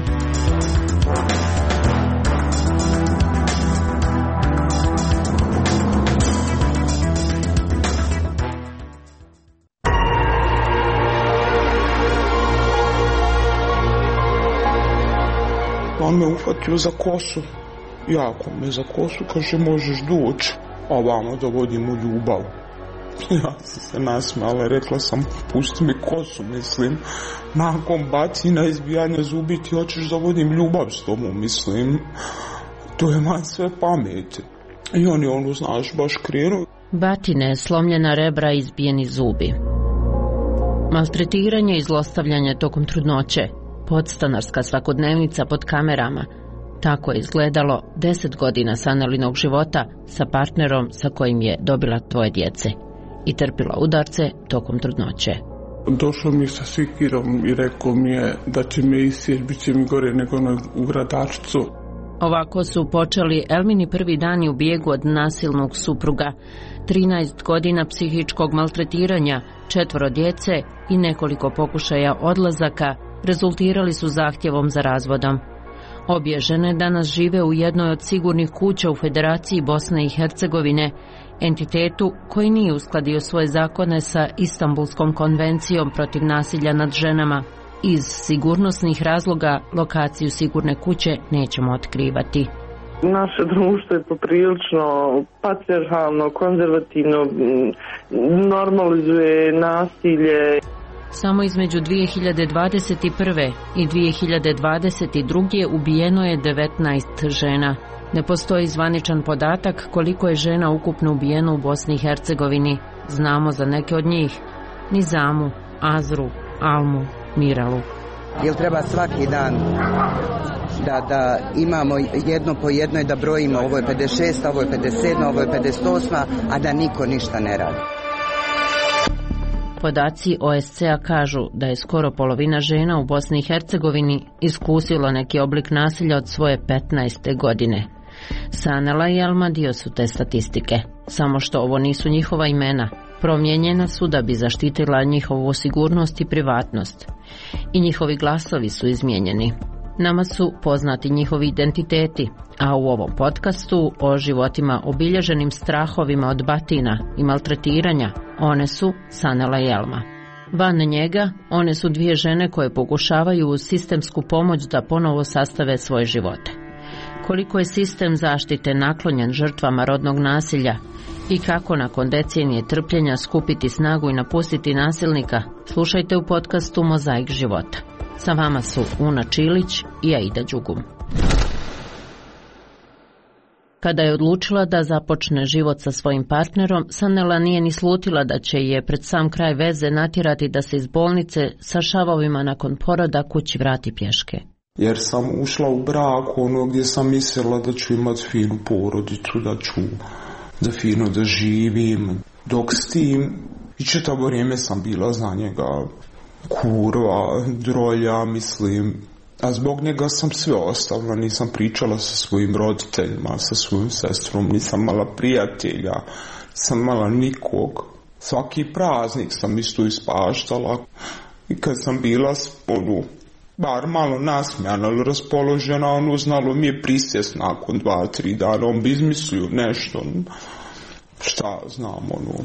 On me uhvatio za kosu, jako me za kosu, kaže možeš doći, a vamo da vodimo ljubav. Ja sam se nasmijala, rekla sam pusti mi kosu, mislim, nakon bacina izbijanja zubi ti hoćeš da vodim ljubav s tobom, mislim, to je man sve pameti. I on je ono, znaš, baš krenuo. Batine, slomljena rebra, izbijeni zubi. Maltretiranje i zlostavljanje tokom trudnoće. Podstanarska svakodnevnica pod kamerama. Tako je izgledalo deset godina Sanelinog života sa partnerom sa kojim je dobila dvoje djece i trpila udarce tokom trudnoće. Došao mi sa sikirom i rekao mi je da će me isjeći, bit će mi gore nego u gradačcu. Ovako su počeli Elmini prvi dani u bijegu od nasilnog supruga. trinaest godina psihičkog maltretiranja, četvoro djece i nekoliko pokušaja odlazaka rezultirali su zahtjevom za razvodom. Obje žene danas žive u jednoj od sigurnih kuća u Federaciji Bosne i Hercegovine, entitetu koji nije uskladio svoje zakone sa Istanbulskom konvencijom protiv nasilja nad ženama. Iz sigurnosnih razloga lokaciju sigurne kuće nećemo otkrivati. Naše društvo je poprilično patrijarhalno, konzervativno, normalizuje nasilje. Samo između dvije hiljade dvadeset prve i dvije hiljade dvadeset druge ubijeno je devetnaest žena. Ne postoji zvaničan podatak koliko je žena ukupno ubijeno u Bosni i Hercegovini. Znamo za neke od njih: Nizamu, Azru, Almu, Miralu. Jel treba svaki dan da, da imamo jedno po jedno i da brojimo ovo je pedeset šest, ovo je pedeset sedam, ovo je pedeset osam, a da niko ništa ne radi? Podaci O S C-a kažu da je skoro polovina žena u Bosni i Hercegovini iskusilo neki oblik nasilja od svoje petnaeste godine. Sanela i Elma dio su te statistike, samo što ovo nisu njihova imena. Promijenjena su da bi zaštitila njihovu sigurnost i privatnost. I njihovi glasovi su izmijenjeni. Nama su poznati njihovi identiteti, a u ovom podcastu o životima obilježenim strahovima od batina i maltretiranja, one su Sanela i Elma. Van njega, one su dvije žene koje pokušavaju uz sistemsku pomoć da ponovo sastave svoje živote. Koliko je sistem zaštite naklonjen žrtvama rodnog nasilja i kako nakon decenije trpljenja skupiti snagu i napustiti nasilnika, slušajte u podcastu Mozaik života. Sa vama su Una Čilić i Aida Đugum. Kada je odlučila da započne život sa svojim partnerom, Sanela nije ni slutila da će je pred sam kraj veze natjerati da se iz bolnice sa šavovima nakon poroda kući vrati pješke. Jer sam ušla u brak ono gdje sam mislila da ću imati finu porodicu, da ću da fino da živim. Dok s tim i čitavo vrijeme sam bila za njega kurva, drolja, mislim. A zbog njega sam sve ostavila, nisam pričala sa svojim roditeljima, sa svojim sestrom, nisam mala prijatelja, nisam mala nikog. Svaki praznik sam isto ispaštala. I kad sam bila ono, bar malo nasmijana, ali raspoložena, ono znalo mi je prisjest nakon dva, tri dana, on bi izmislio nešto, šta znam, ono.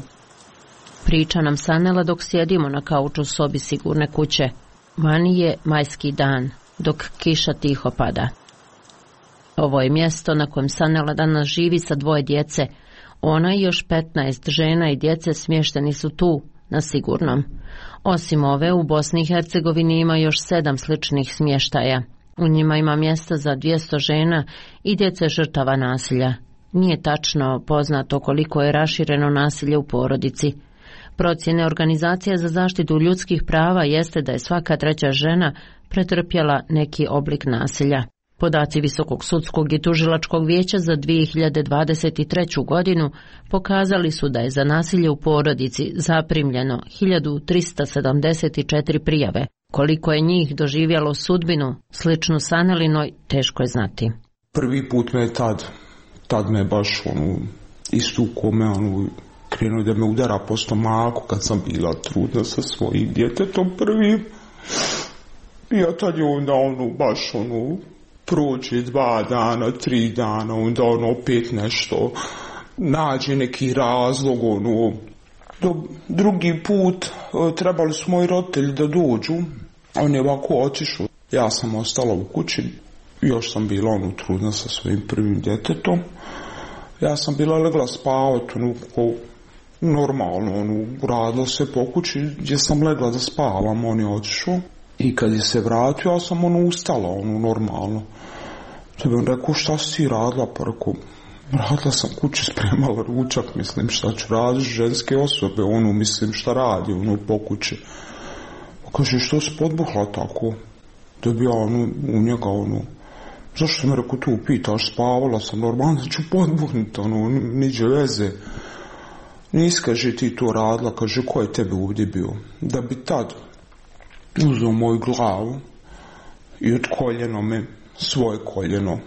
Priča nam Sanela dok sjedimo na kauču u sobi sigurne kuće. Vani je majski dan, dok kiša tiho pada. Ovo je mjesto na kojem Sanela danas živi sa dvoje djece. Ona i još petnaest žena i djece smješteni su tu, na sigurnom. Osim ove, u Bosni i Hercegovini ima još sedam sličnih smještaja. U njima ima mjesta za dvjesto žena i djece žrtava nasilja. Nije tačno poznato koliko je rašireno nasilje u porodici. Procjene Organizacije za zaštitu ljudskih prava jeste da je svaka treća žena pretrpjela neki oblik nasilja. Podaci Visokog sudskog i tužilačkog vijeća za dvije hiljade dvadeset treću godinu pokazali su da je za nasilje u porodici zaprimljeno hiljadu trista sedamdeset četiri prijave. Koliko je njih doživjelo sudbinu sličnu Sanelinoj, teško je znati. Prvi put me je tad, tad me baš ono, istukao me, ono, krenuo da me udara po stomaku kad sam bila trudna sa svojim djetetom prvim. I ja tad je onda ono, baš ono, prođe dva dana, tri dana, onda ono opet nešto, nađe neki razlog, ono, do, drugi put trebali su moji roditelji da dođu, on je ovako otišao, ja sam ostala u kući, još sam bila ono trudna sa svojim prvim djetetom, ja sam bila legla spavati, ono, ko, normalno, ono, radilo se po kući, gdje sam legla da spavam, on je otišao. I kad je se vratio, ja sam ono ustala, ono normalno. Da bi on rekao, šta si ti radila? Pa rekao, radila sam kući, spremala ručak, mislim, šta ću raditi, ženske osobe, ono, mislim, šta radi, ono, po kući. Pa kaže, što si podbuhla tako? Da bi ja, ono, u njega, ono, zašto me rekao, tu pitaš, spavala sam, normalno da ću podbuhnuti, ono, niđe veze. Nis, kaže, ti to radila, kaže, ko je tebe ovdje bio? Da bi tad uzeo moju glavu i od koljeno me, svoje koljeno,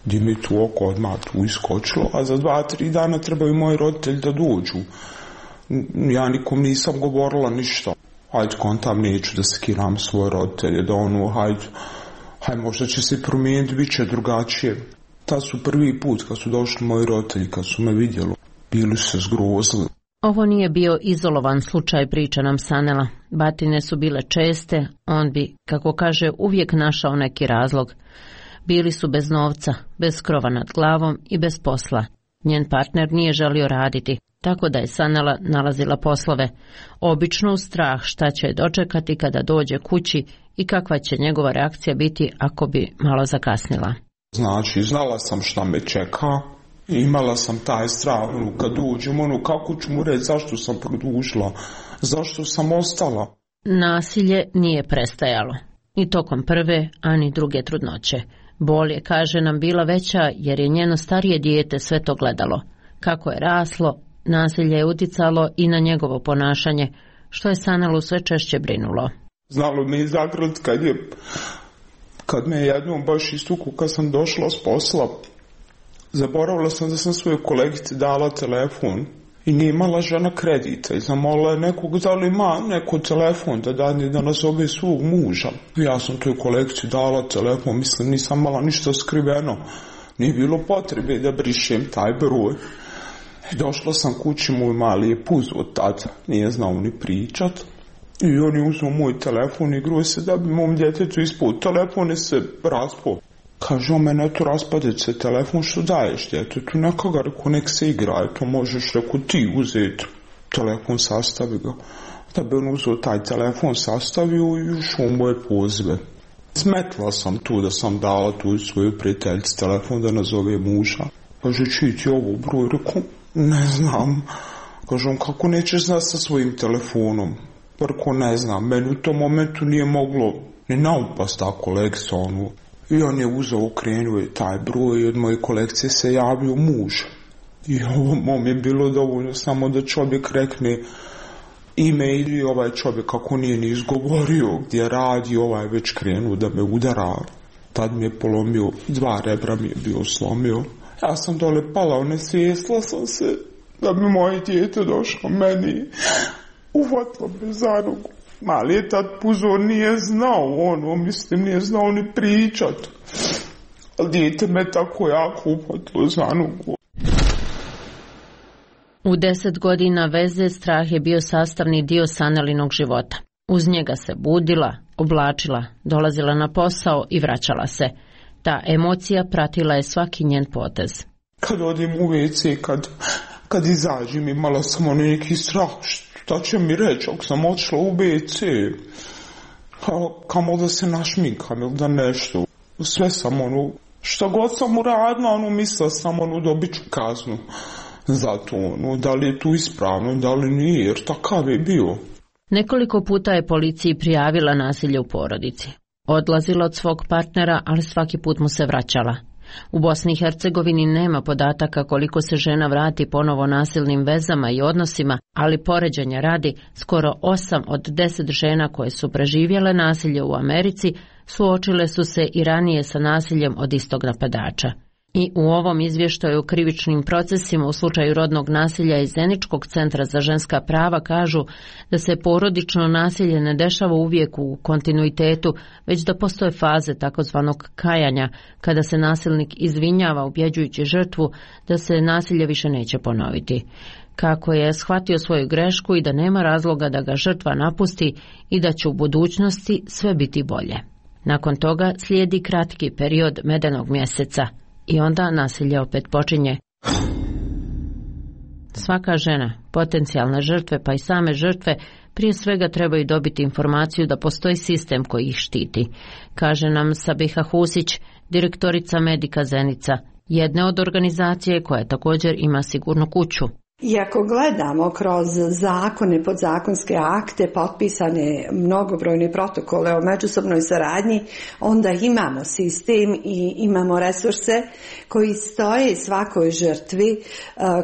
gdje mi tu oko odmah tu iskočilo, a za dva, tri dana trebaju moji roditelji da dođu. Ja nikom nisam govorila ništa. Hajde, kontam, neću da skiram svoje roditelje, da ono, hajde, hajde, možda će se promijeniti, bit će drugačije. Ta su prvi put kad su došli moji roditelji, kad su me vidjeli, bili su se zgrozili. Ovo nije bio izolovan slučaj, priča nam Sanela. Batine su bile česte, on bi, kako kaže, uvijek našao neki razlog. Bili su bez novca, bez krova nad glavom i bez posla. Njen partner nije želio raditi, tako da je Sanela nalazila poslove. Obično u strah šta će dočekati kada dođe kući i kakva će njegova reakcija biti ako bi malo zakasnila. Znači, znala sam šta me čeka. Imala sam taj strah, ono, kad uđem, ono, kako ću mu reći zašto sam produžila, zašto sam ostala. Nasilje nije prestajalo, ni tokom prve, ani druge trudnoće. Bol je, kaže nam, bila veća jer je njeno starije dijete sve to gledalo. Kako je raslo, nasilje je uticalo i na njegovo ponašanje, što je Sanelu sve češće brinulo. Znalo me i zagrlit kad je, kad me jednom baš istuku, kad sam došla s posla, zaboravila sam da sam svojoj kolegici dala telefon i nije imala žena kredita i zamolila je nekog da li ima neko telefon da dani da nazove svog muža. Ja sam toj kolegici dala telefon, mislim nisam imala ništa skriveno, nije bilo potrebe da brišem taj broj. Došla sam kući, moj mali je puzo tad, nije znao ni pričat i on je uzeo moj telefon i igruo se da bi mom djetetu ispod telefone se raspao. Kaže, o mene tu raspadit se telefon, što daješ djetetu, neka ga, reko, nek se igra, to možeš, reko, ti uzeti telefon, sastavi ga. Da bi on uzeo taj telefon, sastavio i ušao moje pozive. Smetla sam tu da sam dala tu svoju prijateljici telefon da nazove muža. Kaže, čiji ti ovo broj, reko, ne znam. Kaže, on, kako nećeš znati sa svojim telefonom? Reko, ne znam, meni u tom momentu nije moglo ni naupast ta kolekcija, ono. I on je uzeo, okrenuo je taj broj i od moje kolekcije se javio muž. I ovo mom je bilo dovoljno samo da čovjek rekne ime ili ovaj čovjek kako nije ni izgovorio gdje radi, ovaj već krenuo da me udara. Tad mi je polomio, dva rebra mi je bio slomio. Ja sam dole pala, nesvjesla sam se da bi moje dijete došlo meni. Uvatlo me za nogu. Mali je tad puzo, nije znao ono, mislim, nije znao ni pričat. Ali dijete me tako jako upatilo za nogu. U deset godina veze strah je bio sastavni dio Sanelinog života. Uz njega se budila, oblačila, dolazila na posao i vraćala se. Ta emocija pratila je svaki njen potez. Kad odim u ve ce, kad, kad izađem, imala sam ono neki strah, šta će mi reći ako sam odšla u ve ce, kamo da se našminkam ili da nešto. Sve sam ono, šta god sam uradila, ono, mislila sam ono, dobit ću kaznu za to, ono, da li je tu ispravno, da li nije, jer takav je bio. Nekoliko puta je policiji prijavila nasilje u porodici. Odlazila od svog partnera, ali svaki put mu se vraćala. U Bosni i Hercegovini nema podataka koliko se žena vrati ponovo nasilnim vezama i odnosima, ali poređenja radi, skoro osam od deset žena koje su preživjele nasilje u Americi suočile su se i ranije sa nasiljem od istog napadača. I u ovom izvještaju o krivičnim procesima u slučaju rodnog nasilja iz Zeničkog centra za ženska prava kažu da se porodično nasilje ne dešava uvijek u kontinuitetu, već da postoje faze takozvanog kajanja, kada se nasilnik izvinjava ubjeđujući žrtvu da se nasilje više neće ponoviti. Kako je shvatio svoju grešku i da nema razloga da ga žrtva napusti i da će u budućnosti sve biti bolje. Nakon toga slijedi kratki period medenog mjeseca. I onda nasilje opet počinje. Svaka žena, potencijalne žrtve pa i same žrtve, prije svega trebaju dobiti informaciju da postoji sistem koji ih štiti, kaže nam Sabiha Husić, direktorica Medika Zenica, jedne od organizacije koja također ima sigurnu kuću. I ako gledamo kroz zakone, podzakonske akte, potpisane mnogobrojne protokole o međusobnoj saradnji, onda imamo sistem i imamo resurse koji stoje svakoj žrtvi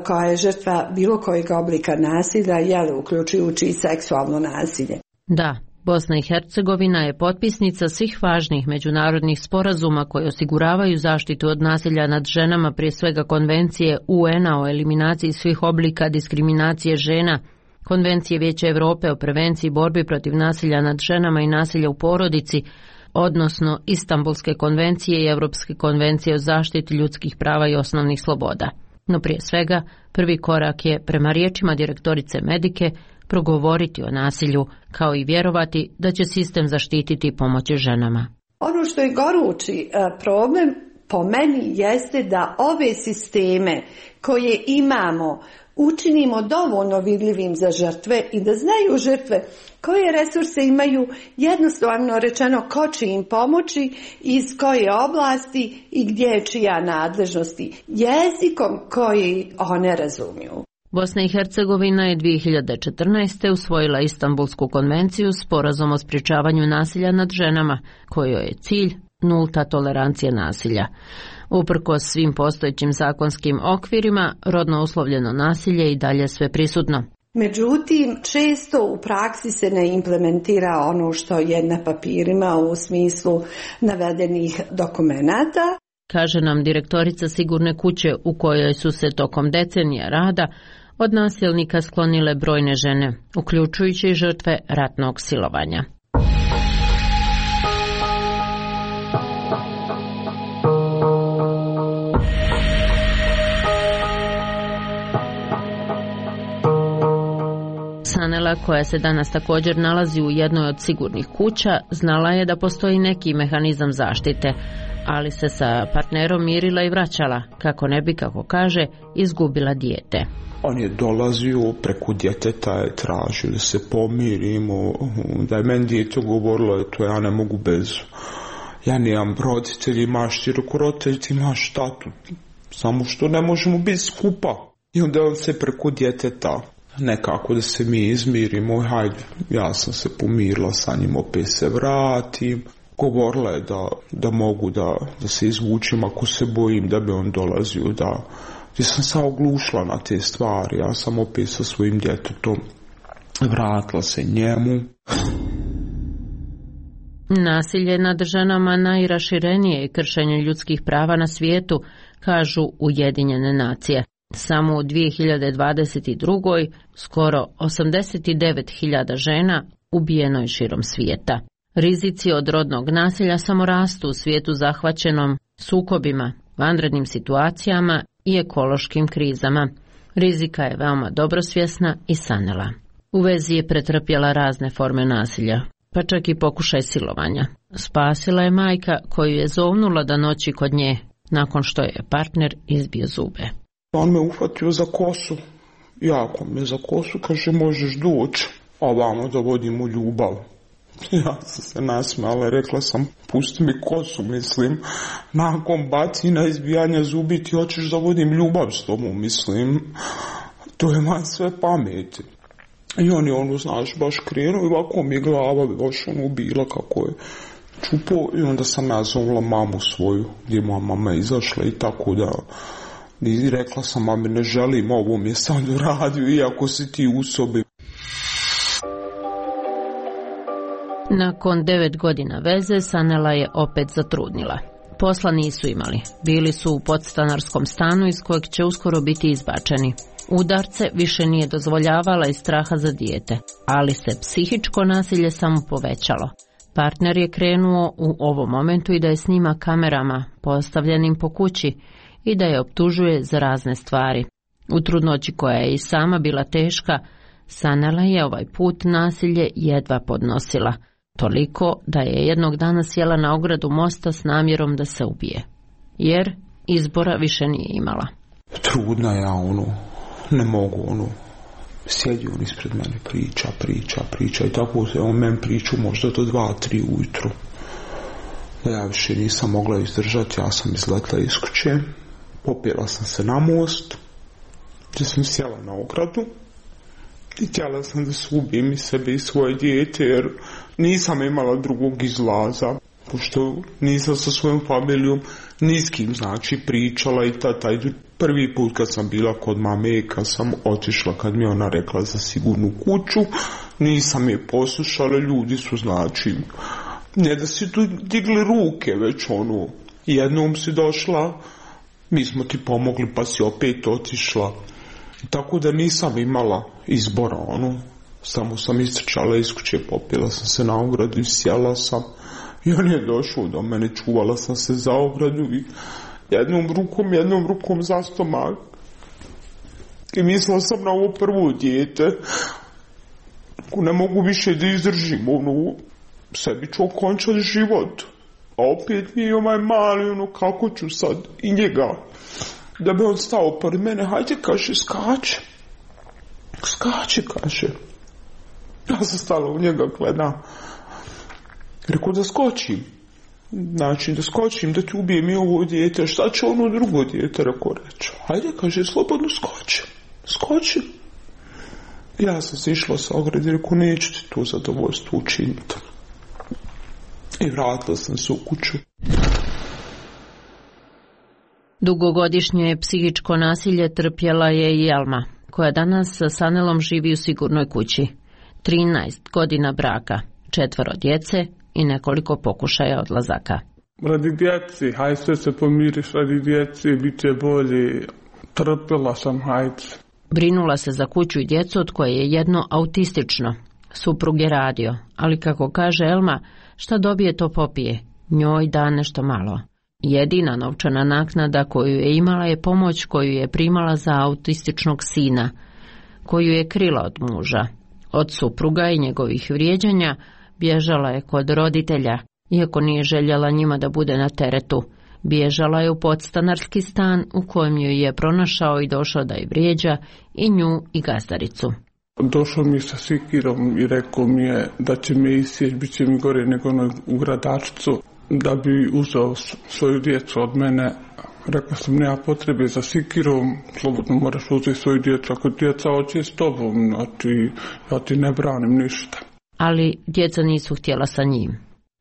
koja je žrtva bilo kojeg oblika nasilja, jel, uključujući i seksualno nasilje. Da. Bosna i Hercegovina je potpisnica svih važnih međunarodnih sporazuma koji osiguravaju zaštitu od nasilja nad ženama, prije svega Konvencije U N-a o eliminaciji svih oblika diskriminacije žena, Konvencije Vijeća Europe o prevenciji i borbi protiv nasilja nad ženama i nasilja u porodici, odnosno Istanbulske konvencije i Europske konvencije o zaštiti ljudskih prava i osnovnih sloboda. No prije svega, prvi korak je, prema riječima direktorice Medike, progovoriti o nasilju, kao i vjerovati da će sistem zaštititi i pomoći ženama. Ono što je gorući problem po meni jeste da ove sisteme koje imamo učinimo dovoljno vidljivim za žrtve i da znaju žrtve koje resurse imaju, jednostavno rečeno ko će im pomoći, iz koje oblasti i gdje je čija nadležnosti, jezikom koji one razumiju. Bosna i Hercegovina je dvije hiljade četrnaeste. usvojila Istanbulsku konvenciju, sporazum o sprječavanju nasilja nad ženama, kojoj je cilj nulta tolerancija nasilja. Uprkos svim postojećim zakonskim okvirima, rodno uslovljeno nasilje i dalje sve prisutno. Međutim, često u praksi se ne implementira ono što je na papirima u smislu navedenih dokumenata. Kaže nam direktorica sigurne kuće u kojoj su se tokom decenija rada od nasilnika sklonile brojne žene, uključujući i žrtve ratnog silovanja. Sanela, koja se danas također nalazi u jednoj od sigurnih kuća, znala je da postoji neki mehanizam zaštite, ali se sa partnerom mirila i vraćala, kako ne bi, kako kaže, izgubila dijete. On je dolazio preko djeteta, je tražio da se pomirimo, da je meni dijete govorilo, to ja ne mogu bez, ja nemam roditelji, imaš ti reko roditelji, ti imaš tatu, samo što ne možemo biti skupa. I onda on se preko djeteta, nekako da se mi izmirimo, hajde, ja sam se pomirila sa njim, opet se vratim. Govorila je da, da mogu da, da se izvučem ako se bojim da bi on dolazio, da gdje sam se oglušila na te stvari, ja sam opet sa svojim djetetom vratila se njemu. Nasilje nad ženama najraširenije je kršenje ljudskih prava na svijetu, kažu Ujedinjene nacije. Samo u dvije hiljade dvadeset druge. skoro osamdeset devet hiljada žena ubijeno je širom svijeta. Rizici od rodnog nasilja samo rastu u svijetu zahvaćenom sukobima, vanrednim situacijama i ekološkim krizama. Rizika je veoma dobro svjesna i Sanela. U vezi je pretrpjela razne forme nasilja, pa čak i pokušaj silovanja. Spasila je majka koju je zovnula da noći kod nje, nakon što je partner izbio zube. On me uhvatio za kosu, jako me za kosu, kaže možeš doći, a vamo da vodim u ljubav. Ja sam se nasmijala, rekla sam pusti mi kosu, mislim, nakon bacina izbijanja zubi ti hoćeš da vodim ljubav s tobom, mislim, to je van sve pameti. I on je ono, znaš, baš krenuo i ovako mi je glava baš ono bila kako je čupo i onda sam ja zovla mamu svoju, gdje moja mama izašla i tako da i rekla sam mami ne želim ovo mi je sam doradio iako si ti u sobi. Nakon devet godina veze Sanela je opet zatrudnila. Posla nisu imali, bili su u podstanarskom stanu iz kojeg će uskoro biti izbačeni. Udarce više nije dozvoljavala iz straha za dijete, ali se psihičko nasilje samo povećalo. Partner je krenuo u ovom momentu i da je snima kamerama postavljenim po kući i da je optužuje za razne stvari. U trudnoći koja je i sama bila teška, Sanela je ovaj put nasilje jedva podnosila, toliko da je jednog dana sjela na ogradu mosta s namjerom da se ubije, jer izbora više nije imala. Trudna ja ono, ne mogu ono, sjedi on ispred mene, priča, priča, priča i tako se on meni priču možda do dva, tri ujutru. Ja više nisam mogla izdržati, ja sam izletla iz kuće, popjela sam se na most, gdje sam sjela na ogradu i htjela sam da se ubijem i sebe i svoje dijete jer nisam imala drugog izlaza, pošto nisam sa svojom familijom ni s kim znači pričala i ta, taj prvi put kad sam bila kod mame, kad sam otišla, kad mi ona rekla za sigurnu kuću, nisam je poslušala, ljudi su znači, ne da si tu digli ruke, već ono, jednom si došla, mi smo ti pomogli pa si opet otišla. Tako da nisam imala izbora, ono, samo sam istrčala iz kuće, popila sam se na ogradu i sjela sam i on je došao do mene, čuvala sam se za ogradu i jednom rukom, jednom rukom za stomak i mislila sam na ovo prvo dijete, ako ne mogu više da izdržim, ono, sebi ću okončati život, a opet mi je ovaj mali, ono, kako ću sad i njega. Da bi on stao pored mene, hajde, kaže, skače. Skače, kaže. Ja sam stala u njega, gledam. Rekao da skočim. Znači, da skočim, da ti ubijem i ovo dijete. Šta će ono drugo dijete, rekao reći. Hajde, kaže, slobodno skoči. Skoči. Ja sam se išla sa ograde, rekao, neću ti to zadovoljstvo učiniti. I vratila sam se u kuću. Dugogodišnje psihičko nasilje trpjela je i Alma, koja danas sa Sanelom živi u sigurnoj kući. trinaest godina braka, četvoro djece i nekoliko pokušaja odlazaka. Radi djeci, hajde sve se pomiriš, radi djeci, bit će bolje, trpjela sam, hajde. Brinula se za kuću i djecu od koje je jedno autistično. Suprug je radio, ali kako kaže Elma, šta dobije to popije, njoj da nešto malo. Jedina novčana naknada koju je imala je pomoć koju je primala za autističnog sina, koju je krila od muža. Od supruga i njegovih vrijeđanja bježala je kod roditelja, iako nije željela njima da bude na teretu. Bježala je u podstanarski stan u kojem ju je pronašao i došao da je vrijeđa i nju i gazdaricu. Došao mi sa sikirom i rekao mi je da će me isjeć, bit će mi gore nego u gradačicu. Da bi uzeo svoju djecu od mene, rekao sam nema potrebe za sikirom, slobodno moraš uzeti svoju djecu, ako djeca hoće s tobom, znači ja ti ne branim ništa. Ali djeca nisu htjela sa njim.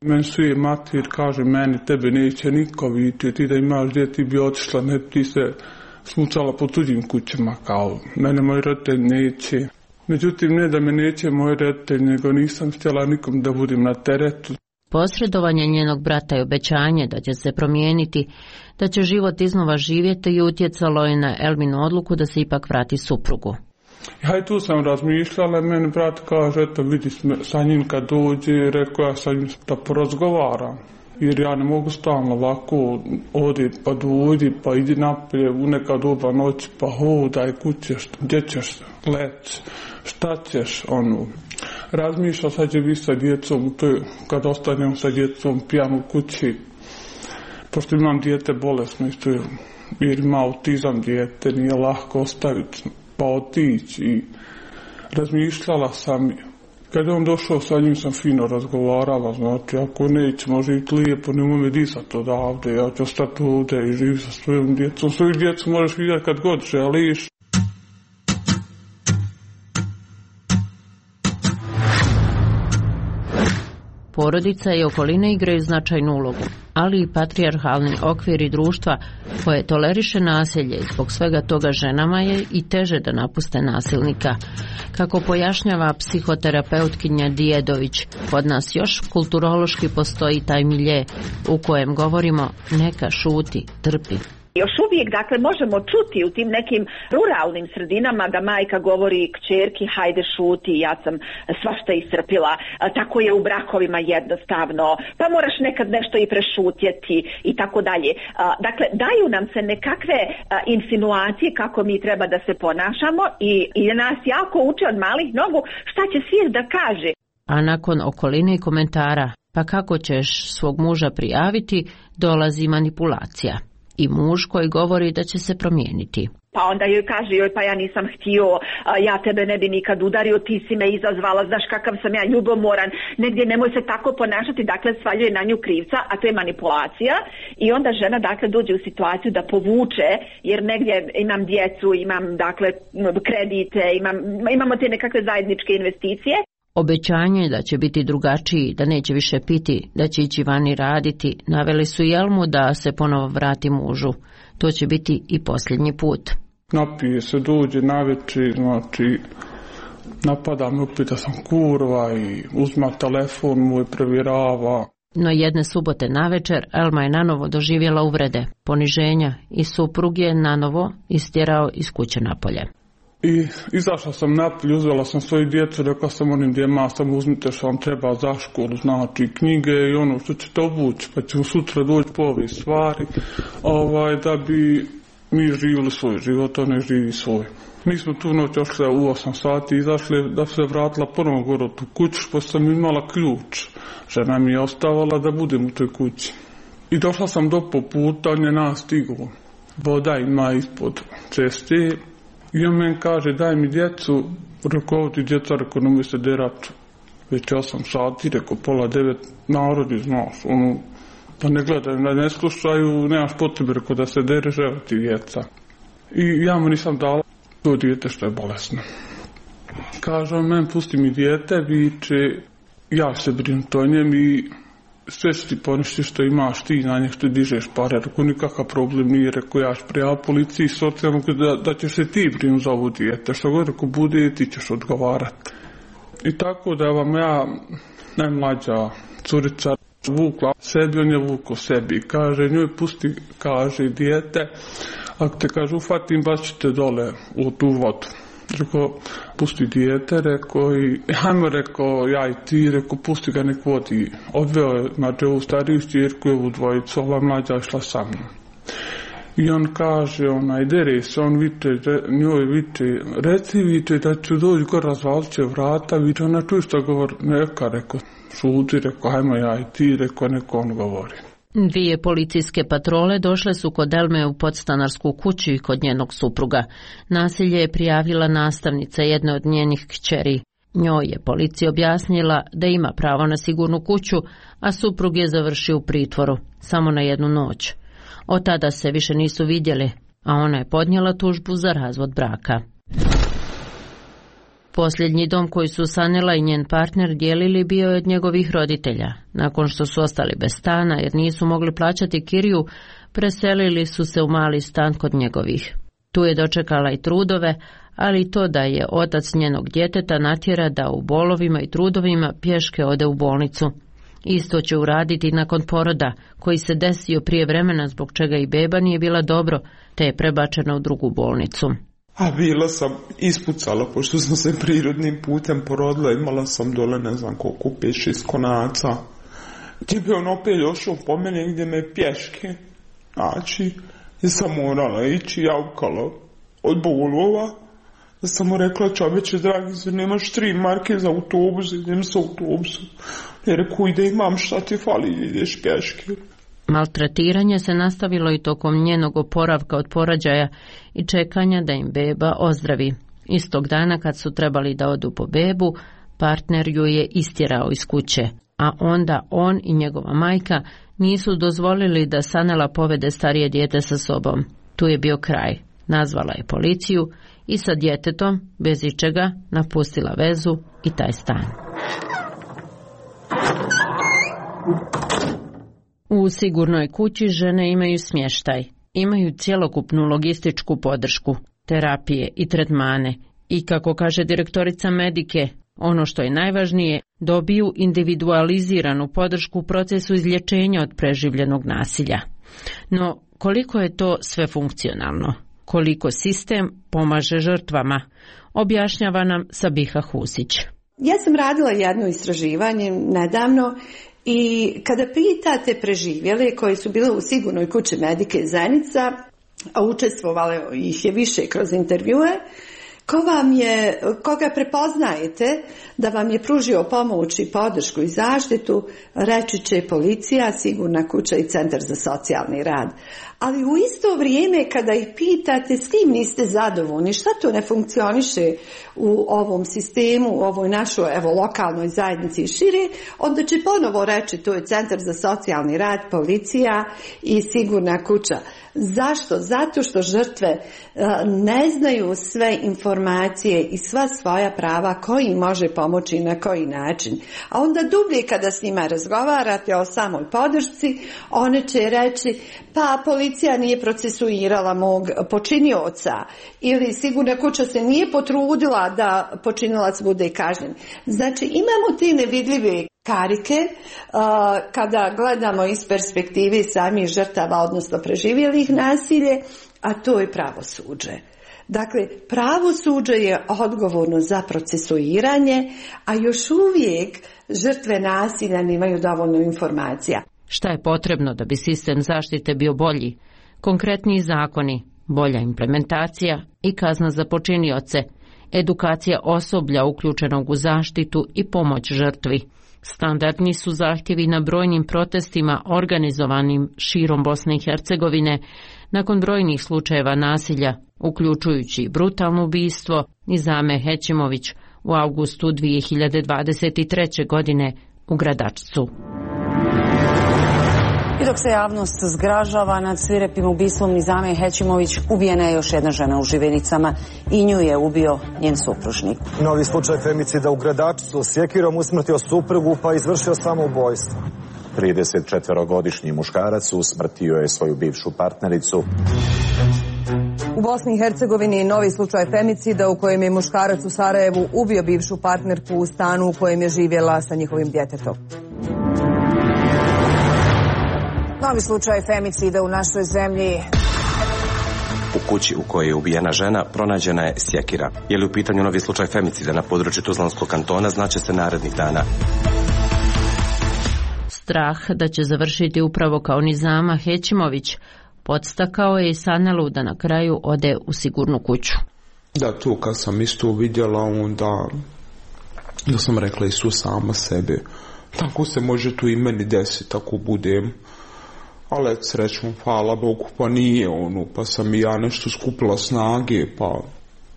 Meni svi matir kaže, meni tebe neće niko vidjeti, ti da imaš djeti ti bi otišla, ne ti se smucala po tuđim kućama, kao mene moj roditelj neće. Međutim, ne da me neće moj roditelj, nego nisam htjela nikom da budem na teretu. Posredovanje njenog brata i obećanje da će se promijeniti, da će život iznova živjeti i utjecalo je na Elminu odluku da se ipak vrati suprugu. Ja i tu sam razmišljala, meni brat kaže, eto vidi sa njim kad dođe, rekao ja sa njim da porazgovaram. jer ja ne mogu stalno ovako odi pa dojdi pa idi napolje u neka doba noći pa hodaj kuće, gdje ćeš leći, šta ćeš, ono. Razmišljam sad će biti sa djecom, to je, kad ostanem sa djecom pijan u kući, pošto imam dijete bolesno isto je, jer ima autizam dijete, nije lahko ostaviti pa otići i razmišljala sam. Kad je on došao, sa njim sam fino razgovarala, znači ako nećemo živjeti lijepo, nemoj me disati odavde, ja ću ostati ovdje i živjeti sa svojom djecom. Svoju djecu možeš vidjeti kad god želiš. Porodica i okoline igraju značajnu ulogu, ali i patrijarhalni okviri društva koje toleriše nasilje i zbog svega toga ženama je i teže da napuste nasilnika. Kako pojašnjava psihoterapeutkinja Dijedović, kod nas još kulturološki postoji taj milje u kojem govorimo neka šuti, trpi. Još uvijek, dakle, možemo čuti u tim nekim ruralnim sredinama da majka govori kćerki hajde šuti, ja sam svašta iscrpila, tako je u brakovima jednostavno, pa moraš nekad nešto i prešutjeti i tako dalje. Dakle, daju nam se nekakve insinuacije kako mi treba da se ponašamo i, i nas jako uče od malih nogu šta će svijet da kaže. A nakon okoline i komentara, pa kako ćeš svog muža prijaviti, dolazi manipulacija. I muž koji govori da će se promijeniti. Pa onda joj kaže, joj pa ja nisam htio, ja tebe ne bi nikad udario, ti si me izazvala, znaš kakav sam ja ljubomoran, negdje nemoj se tako ponašati, dakle svaljuje na nju krivca, a to je manipulacija i onda žena dakle dođe u situaciju da povuče, jer negdje imam djecu, imam dakle kredite, imam, imamo te nekakve zajedničke investicije. Obećanje da će biti drugačiji, da neće više piti, da će ići vani raditi, naveli su Jelmu da se ponovo vrati mužu. To će biti i posljednji put. Napije se, dođe navečer, znači napada me opet da sam kurva i uzma telefon moj, provjerava. No jedne subote navečer Elma je nanovo doživjela uvrede, poniženja i suprug je nanovo istjerao iz kuće napolje. I izašla sam napolje, uzela sam svoju djecu, rekla sam onim djema, samo uzmite što vam treba za školu, znači knjige i ono što ćete obući, pa ćemo sutra doći po ove stvari, ovaj, da bi mi živjeli svoj život, on ne živi svoj. Mi smo tu noć ošli u osam sati, izašli da se vratila ponovno gore u tu kuću, pa sam imala ključ. Žena mi je ostavala da budem u toj kući. I došla sam do poputa, on je nastigao. Voda ima ispod ceste. I on meni kaže, daj mi djecu, rekao ti djeca, rekao nemoj se derat, već osam sati, rekao pola devet, narodi, znaš, ono, da ne gledaju, da ne slušaju, nemaš potrebe, rekao da se dereš, evo ti djeca. I ja mu nisam dala to dijete što je bolesno. Kaže on meni, pusti mi dijete, viče, ja se brinuti o njem i sve što ti poništi što imaš ti na njih što dižeš pare, rekao nikakav problem nije, rekao ja ću prijaviti policiji socijalno da, da ćeš se ti brinuti za ovo dijete, što god rekao bude ti ćeš odgovarati. I tako da vam ja najmlađa curica vukla sebi, on je vukao sebi, kaže njoj pusti, kaže dijete, ako te kaže ufatim baš ćete dole u tu vodu. Rekao, pusti dijete, rekao i hajmo, rekao, ja i ti, rekao, pusti ga nek vodi. Odveo je, znači, ovu stariju čirku i ovu dvojicu, ova mlađa išla sa mnom. I on kaže, onaj, dere se, on viče, njoj viče, reci viče da ću doći gore, razvalit će vrata, viče, ona čuje što govori, neka, rekao, šuti, rekao, hajmo ja i ti, rekao, neko on govori. Dvije policijske patrole došle su kod Elme u podstanarsku kuću i kod njenog supruga. Nasilje je prijavila nastavnica jedne od njenih kćeri. Njoj je policija objasnila da ima pravo na sigurnu kuću, a suprug je završio u pritvoru, samo na jednu noć. Od tada se više nisu vidjeli, a ona je podnijela tužbu za razvod braka. Posljednji dom koji su Sanela i njen partner dijelili bio je od njegovih roditelja. Nakon što su ostali bez stana jer nisu mogli plaćati kiriju, preselili su se u mali stan kod njegovih. Tu je dočekala i trudove, ali i to da je otac njenog djeteta natjera da u bolovima i trudovima pješke ode u bolnicu. Isto će uraditi nakon poroda, koji se desio prije vremena zbog čega i beba nije bila dobro, te je prebačena u drugu bolnicu. A bila sam ispucala, pošto sam se prirodnim putem porodila, imala sam dole ne znam koliko, pet šest konaca. Gdje bi on opet došao po mene gdje me pješke. Znači, ja sam morala ići javkala od bolova. Da sam mu rekla, čoveče, dragi, zar nemaš tri marke za autobus, idem sa autobusom. Ja reku, ide imam, šta ti fali, ideš pješke. Maltretiranje se nastavilo i tokom njenog oporavka od porođaja i čekanja da im beba ozdravi. Istog dana kad su trebali da odu po bebu, partner ju je istjerao iz kuće, a onda on i njegova majka nisu dozvolili da Sanela povede starije dijete sa sobom. Tu je bio kraj. Nazvala je policiju i sa djetetom, bez ičega, napustila vezu i taj stan. U sigurnoj kući žene imaju smještaj, imaju cjelokupnu logističku podršku, terapije i tretmane i, kako kaže direktorica Medike, ono što je najvažnije, dobiju individualiziranu podršku u procesu izlječenja od preživljenog nasilja. No, koliko je to sve funkcionalno? Koliko sistem pomaže žrtvama? Objašnjava nam Sabiha Husić. Ja sam radila jedno istraživanje nedavno i kada pitate preživjele koji su bile u sigurnoj kući Medike Zenica, a učestvovale ih je više kroz intervjue, ko vam je, koga prepoznajete da vam je pružio pomoć i podršku i zaštitu, reći će policija, sigurna kuća i centar za socijalni rad. Ali u isto vrijeme kada ih pitate s kim niste zadovoljni, šta to ne funkcioniše u ovom sistemu, u ovoj našoj evo, lokalnoj zajednici i šire, onda će ponovo reći to je centar za socijalni rad, policija i sigurna kuća. Zašto? Zato što žrtve ne znaju sve informacije i sva svoja prava koji može pomoći i na koji način. A onda dublje kada s njima razgovarate o samoj podršci, one će reći pa policija nije procesuirala mog počinioca ili sigurna kuća se nije potrudila da počinilac bude kažnjen. Znači imamo te nevidljive karike uh, kada gledamo iz perspektive samih žrtava, odnosno preživjelih nasilje, a to je pravosuđe. Dakle, pravosuđe je odgovorno za procesuiranje, a još uvijek žrtve nasilja nemaju dovoljno informacija. Šta je potrebno da bi sistem zaštite bio bolji? Konkretniji zakoni, bolja implementacija i kazna za počinioce, edukacija osoblja uključenog u zaštitu i pomoć žrtvi. Standardni su zahtjevi na brojnim protestima organizovanim širom Bosne i Hercegovine nakon brojnih slučajeva nasilja, uključujući brutalno ubistvo Nizame Hećimović u avgustu dvije hiljade dvadeset treće. godine u Gradačcu. I dok se javnost zgražava nad svirepim ubistvom Nizame Hećimović, ubijena je još jedna žena u Živinicama i nju je ubio njen supružnik. Novi slučaj femicida u Gradačcu, sjekirom usmrtio suprugu pa izvršio samoubojstvo. tridesetčetvorogodišnji muškarac usmrtio je svoju bivšu partnericu. U Bosni i Hercegovini novi slučaj femicida u kojem je muškarac u Sarajevu ubio bivšu partnerku u stanu u kojem je živjela sa njihovim djetetom. Novi slučaj femicida u našoj zemlji. U kući u kojoj je ubijena žena pronađena je sjekira. Je li u pitanju novi slučaj femicida na području Tuzlanskog kantona, znaće se narednih dana. Strah da će završiti upravo kao Nizama Hećimović podstakao je i Sanelu da na kraju ode u sigurnu kuću. Da, tu kad sam isto vidjela, onda da sam rekla isto sama sebe. Tako se može tu i meni desiti ako budem. Ali srećom, hvala Bogu, pa nije ono, pa sam i ja nešto skupila snage, pa,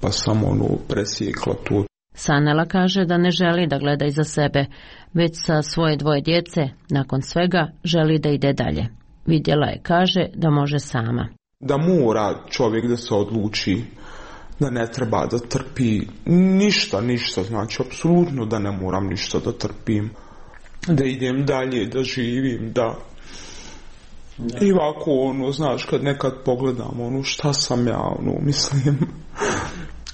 pa sam ono presjekla tu. Sanela kaže da ne želi da gleda iza sebe, već sa svoje dvoje djece, nakon svega, želi da ide dalje. Vidjela je, kaže, da može sama. Da mora čovjek da se odluči, da ne treba da trpi ništa, ništa, znači apsolutno da ne moram ništa da trpim, da idem dalje, da živim, da... I ovako, ono, znaš, kad nekad pogledam, ono, šta sam ja, ono, mislim,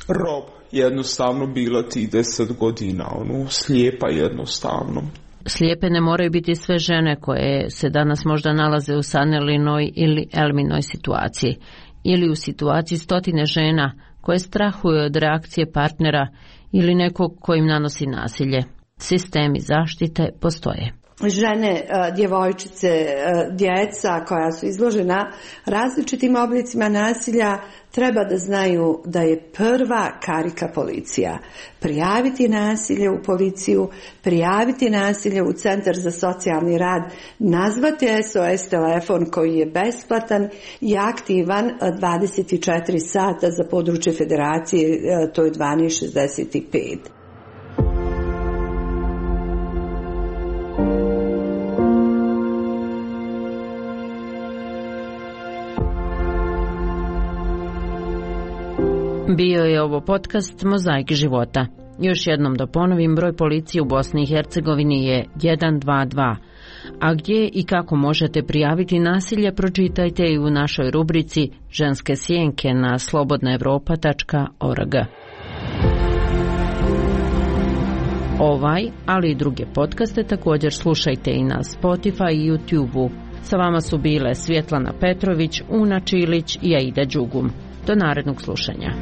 rob, jednostavno bila ti deset godina, ono, slijepa jednostavno. Slijepe ne moraju biti sve žene koje se danas možda nalaze u Sanelinoj ili Elminoj situaciji, ili u situaciji stotine žena koje strahuju od reakcije partnera ili nekog ko im nanosi nasilje. Sistemi zaštite postoje. žene, djevojčice, djeca koja su izložena različitim oblicima nasilja treba da znaju da je prva karika policija. Prijaviti nasilje u policiju, prijaviti nasilje u Centar za socijalni rad, nazvati S O S telefon koji je besplatan i aktivan dvadeset četiri sata za područje federacije, to je dvanaest šezdeset pet. Bio je ovo podcast Mozaik života. Još jednom da ponovim, broj policije u Bosni i Hercegovini je jedan dva dva. A gdje i kako možete prijaviti nasilje, pročitajte i u našoj rubrici Ženske sjenke na slobodna evropa tačka org. Ovaj, ali i druge podcaste također slušajte i na Spotify i YouTube-u. Sa vama su bile Svjetlana Petrović, Una Čilić i Aida Đugum. Do narednog slušanja.